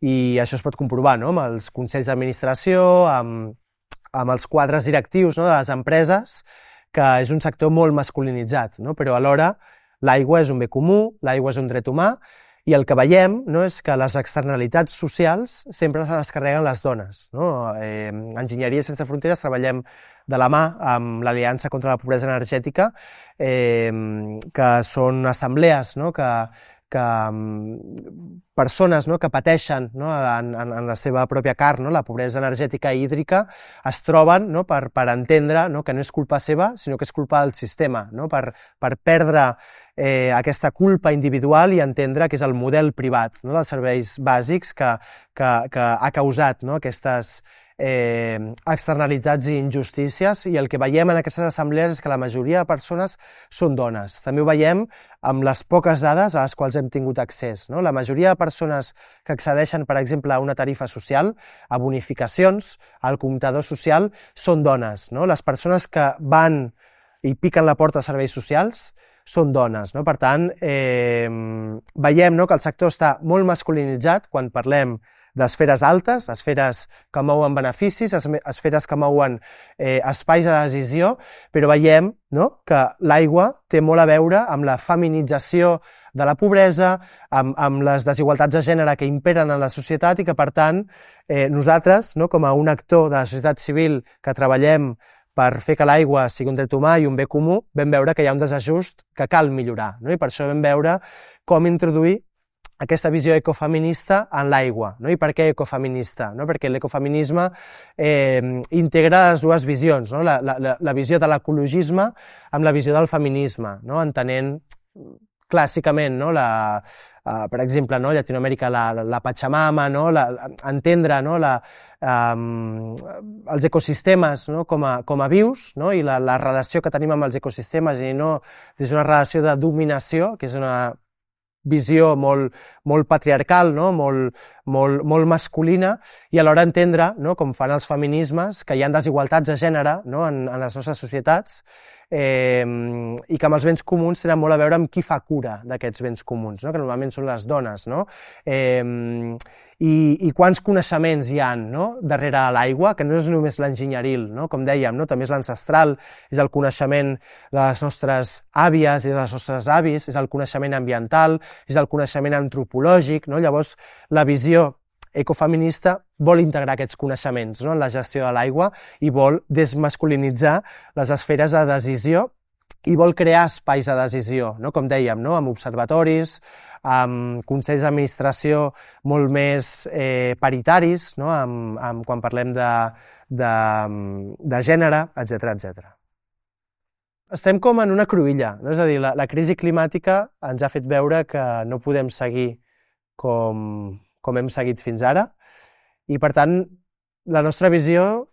i això es pot comprovar, no? Amb els consells d'administració, amb els quadres directius, no? De les empreses, que és un sector molt masculinitzat, no? Però alhora l'aigua és un bé comú, l'aigua és un dret humà, i el que veiem, no, és que les externalitats socials sempre se les carreguen les dones, no? Enginyeria Sense Fronteres treballem de la mà amb l'Aliança contra la Pobresa Energètica, que són assemblees, no? que persones, no? Que pateixen, no? en la seva pròpia carn, no? La pobresa energètica i hídrica, es troben, no? per entendre, no? Que no és culpa seva, sinó que és culpa del sistema, no? Per perdre aquesta culpa individual i entendre que és el model privat, no? Dels serveis bàsics que ha causat, no? Aquestes externalitats i injustícies, i el que veiem en aquestes assemblees és que la majoria de persones són dones. També ho veiem amb les poques dades a les quals hem tingut accés, no? La majoria de persones que accedeixen, per exemple, a una tarifa social, a bonificacions, al comptador social, són dones, no? Les persones que van i piquen la porta a serveis socials són dones, no? Per tant, veiem, no? Que el sector està molt masculinitzat quan parlem d'esferes altes, esferes que mouen beneficis, esferes que mouen espais de decisió, però veiem, no? Que l'aigua té molt a veure amb la feminització de la pobresa, amb les desigualtats de gènere que imperen en la societat i que, per tant, nosaltres, no? Com a un actor de la societat civil que treballem per fer que l'aigua sigui un dret humà i un bé comú, vam veure que hi ha un desajust que cal millorar, no? I per això vam veure com introduir aquesta visió ecofeminista en l'aigua, no? I per què ecofeminista? No? Perquè l'ecofeminisme integra les dues visions, no? La visió de l'ecologisme amb la visió del feminisme, no? Entenent clàssicament, no? Per exemple, no? Llatinoamèrica, la Pachamama, no? Entendre, no? Els ecosistemes, no? com a vius, no? I la relació que tenim amb els ecosistemes i no des d'una relació de dominació, que és una visió molt patriarcal, no? molt masculina, i alhora entendre, no? Com fan els feminismes, que hi ha desigualtats de gènere, no? en les nostres societats, i que amb els béns comuns tenen molt a veure amb qui fa cura d'aquests béns comuns, no? Que normalment són les dones, no? I quants coneixements hi ha, no? Darrere l'aigua, que no és només l'enginyeril, no? Com dèiem, no? També és l'ancestral, és el coneixement de les nostres àvies i de les nostres avis, és el coneixement ambiental, és el coneixement antropològic, no? Llavors, la visió ecofeminista vol integrar aquests coneixements, no? En la gestió de l'aigua i vol desmasculinitzar les esferes de decisió i vol crear espais de decisió, no? Com dèiem, no? Amb observatoris, amb consells d'administració molt més paritaris, no? Quan parlem de gènere, etc. Estem com en una cruïlla, no? És a dir, la crisi climàtica ens ha fet veure que no podem seguir com hem seguit fins ara, i per tant la nostra visió,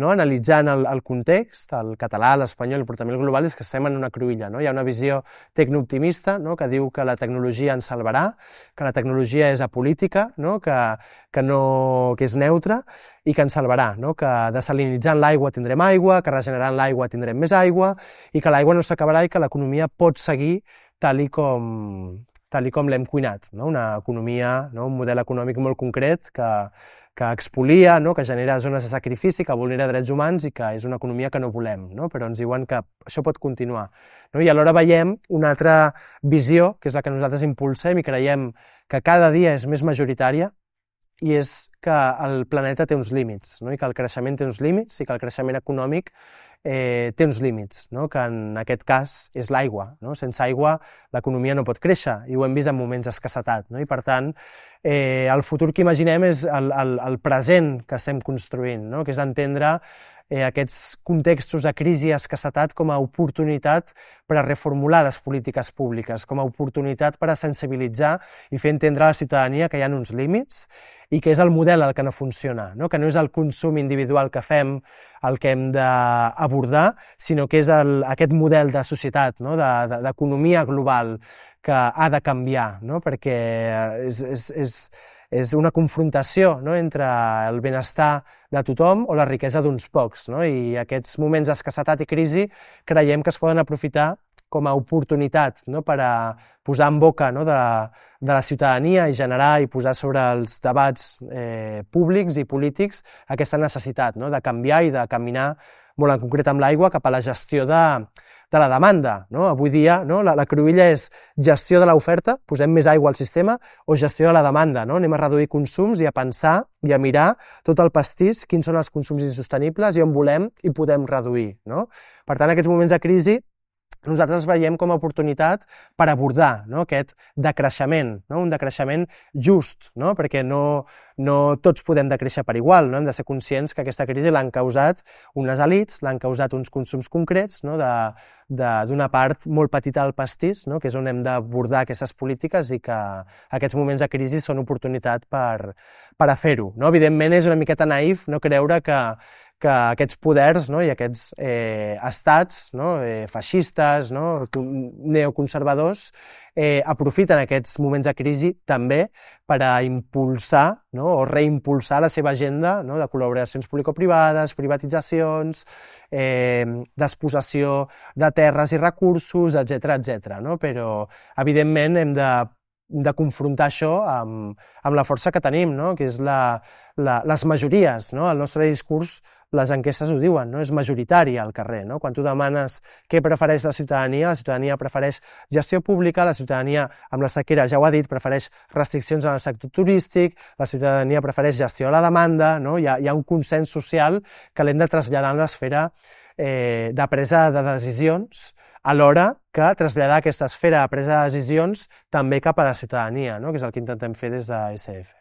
no? Analitzant el context, el català, l'espanyol, el portament global, és que estem en una cruïlla, no? Hi ha una visió tecnooptimista, no? Que diu que la tecnologia ens salvarà, que la tecnologia és apolítica, no? Que és neutra i que ens salvarà, no? Que desalinitzant l'aigua tindrem aigua, que regenerant l'aigua tindrem més aigua i que l'aigua no s'acabarà i que l'economia pot seguir tal com l'hem cuinat, no? Una economia, no? Un model econòmic molt concret que expolia, no? Que genera zones de sacrifici, que vulnera drets humans i que és una economia que no volem, no? Però ens diuen que això pot continuar, no? I alhora veiem una altra visió, que és la que nosaltres impulsem i creiem que cada dia és més majoritària, i és que el planeta té uns límits, no? I que el creixement té uns límits i que el creixement econòmic té uns límits, no? Que en aquest cas és l'aigua, no? Sense aigua l'economia no pot créixer i ho hem vist en moments d'escassetat, no? I per tant el futur que imaginem és el present que estem construint, no? Que és entendre aquests contextos de crisi i escassetat com a oportunitat per a reformular les polítiques públiques, com a oportunitat per a sensibilitzar i fer entendre a la ciutadania que hi ha uns límits i que és el model el que no funciona, no? Que no és el consum individual que fem el que hem d'abordar, sinó que és aquest model de societat, no? D'economia global que ha de canviar, no? Perquè és una confrontació, no? Entre el benestar de tothom o la riquesa d'uns pocs, no? I aquests moments d'escassetat i crisi creiem que es poden aprofitar com a oportunitat, no? Per a posar en boca, no? de la ciutadania i generar i posar sobre els debats públics i polítics aquesta necessitat, no? De canviar i de caminar molt en concret amb l'aigua cap a la gestió de la demanda, no? Avui dia, no? La cruïlla és gestió de l'oferta, posem més aigua al sistema, o gestió de la demanda, no? Anem a reduir consums i a pensar i a mirar tot el pastís, quins són els consums insostenibles i on volem i podem reduir, no? Per tant, aquests moments de crisi nosaltres veiem com a oportunitat per abordar, no? Aquest decreixement, no? Un decreixement just, no? Perquè no tots podem decréixer per igual, no? Hem de ser conscients que aquesta crisi l'han causat unes elits, l'han causat uns consums concrets, no? D'una part molt petita del pastís, no? Que és on hem d'abordar aquestes polítiques i que aquests moments de crisi són oportunitat per a fer-ho, no? Evidentment és una miqueta naïf no creure que aquests poders, no? I aquests estats, no? Feixistes, no? Neoconservadors aprofiten aquests moments de crisi també per a impulsar, no? O reimpulsar la seva agenda, no? De col·laboracions publicoprivades, privatitzacions, despossessió de terres i recursos, etc., no? Però, evidentment, hem de confrontar això amb la força que tenim, no? Que és les majories, no? El nostre discurs, les enquestes ho diuen, no? És majoritari al carrer, no? Quan tu demanes què prefereix la ciutadania prefereix gestió pública, la ciutadania amb la sequera, ja ho ha dit, prefereix restriccions en el sector turístic, la ciutadania prefereix gestió a la demanda, no? Hi ha un consens social que l'hem de traslladar en l'esfera de presa de decisions, alhora que traslladar aquesta esfera de presa de decisions també cap a la ciutadania, no? Que és el que intentem fer des de SF.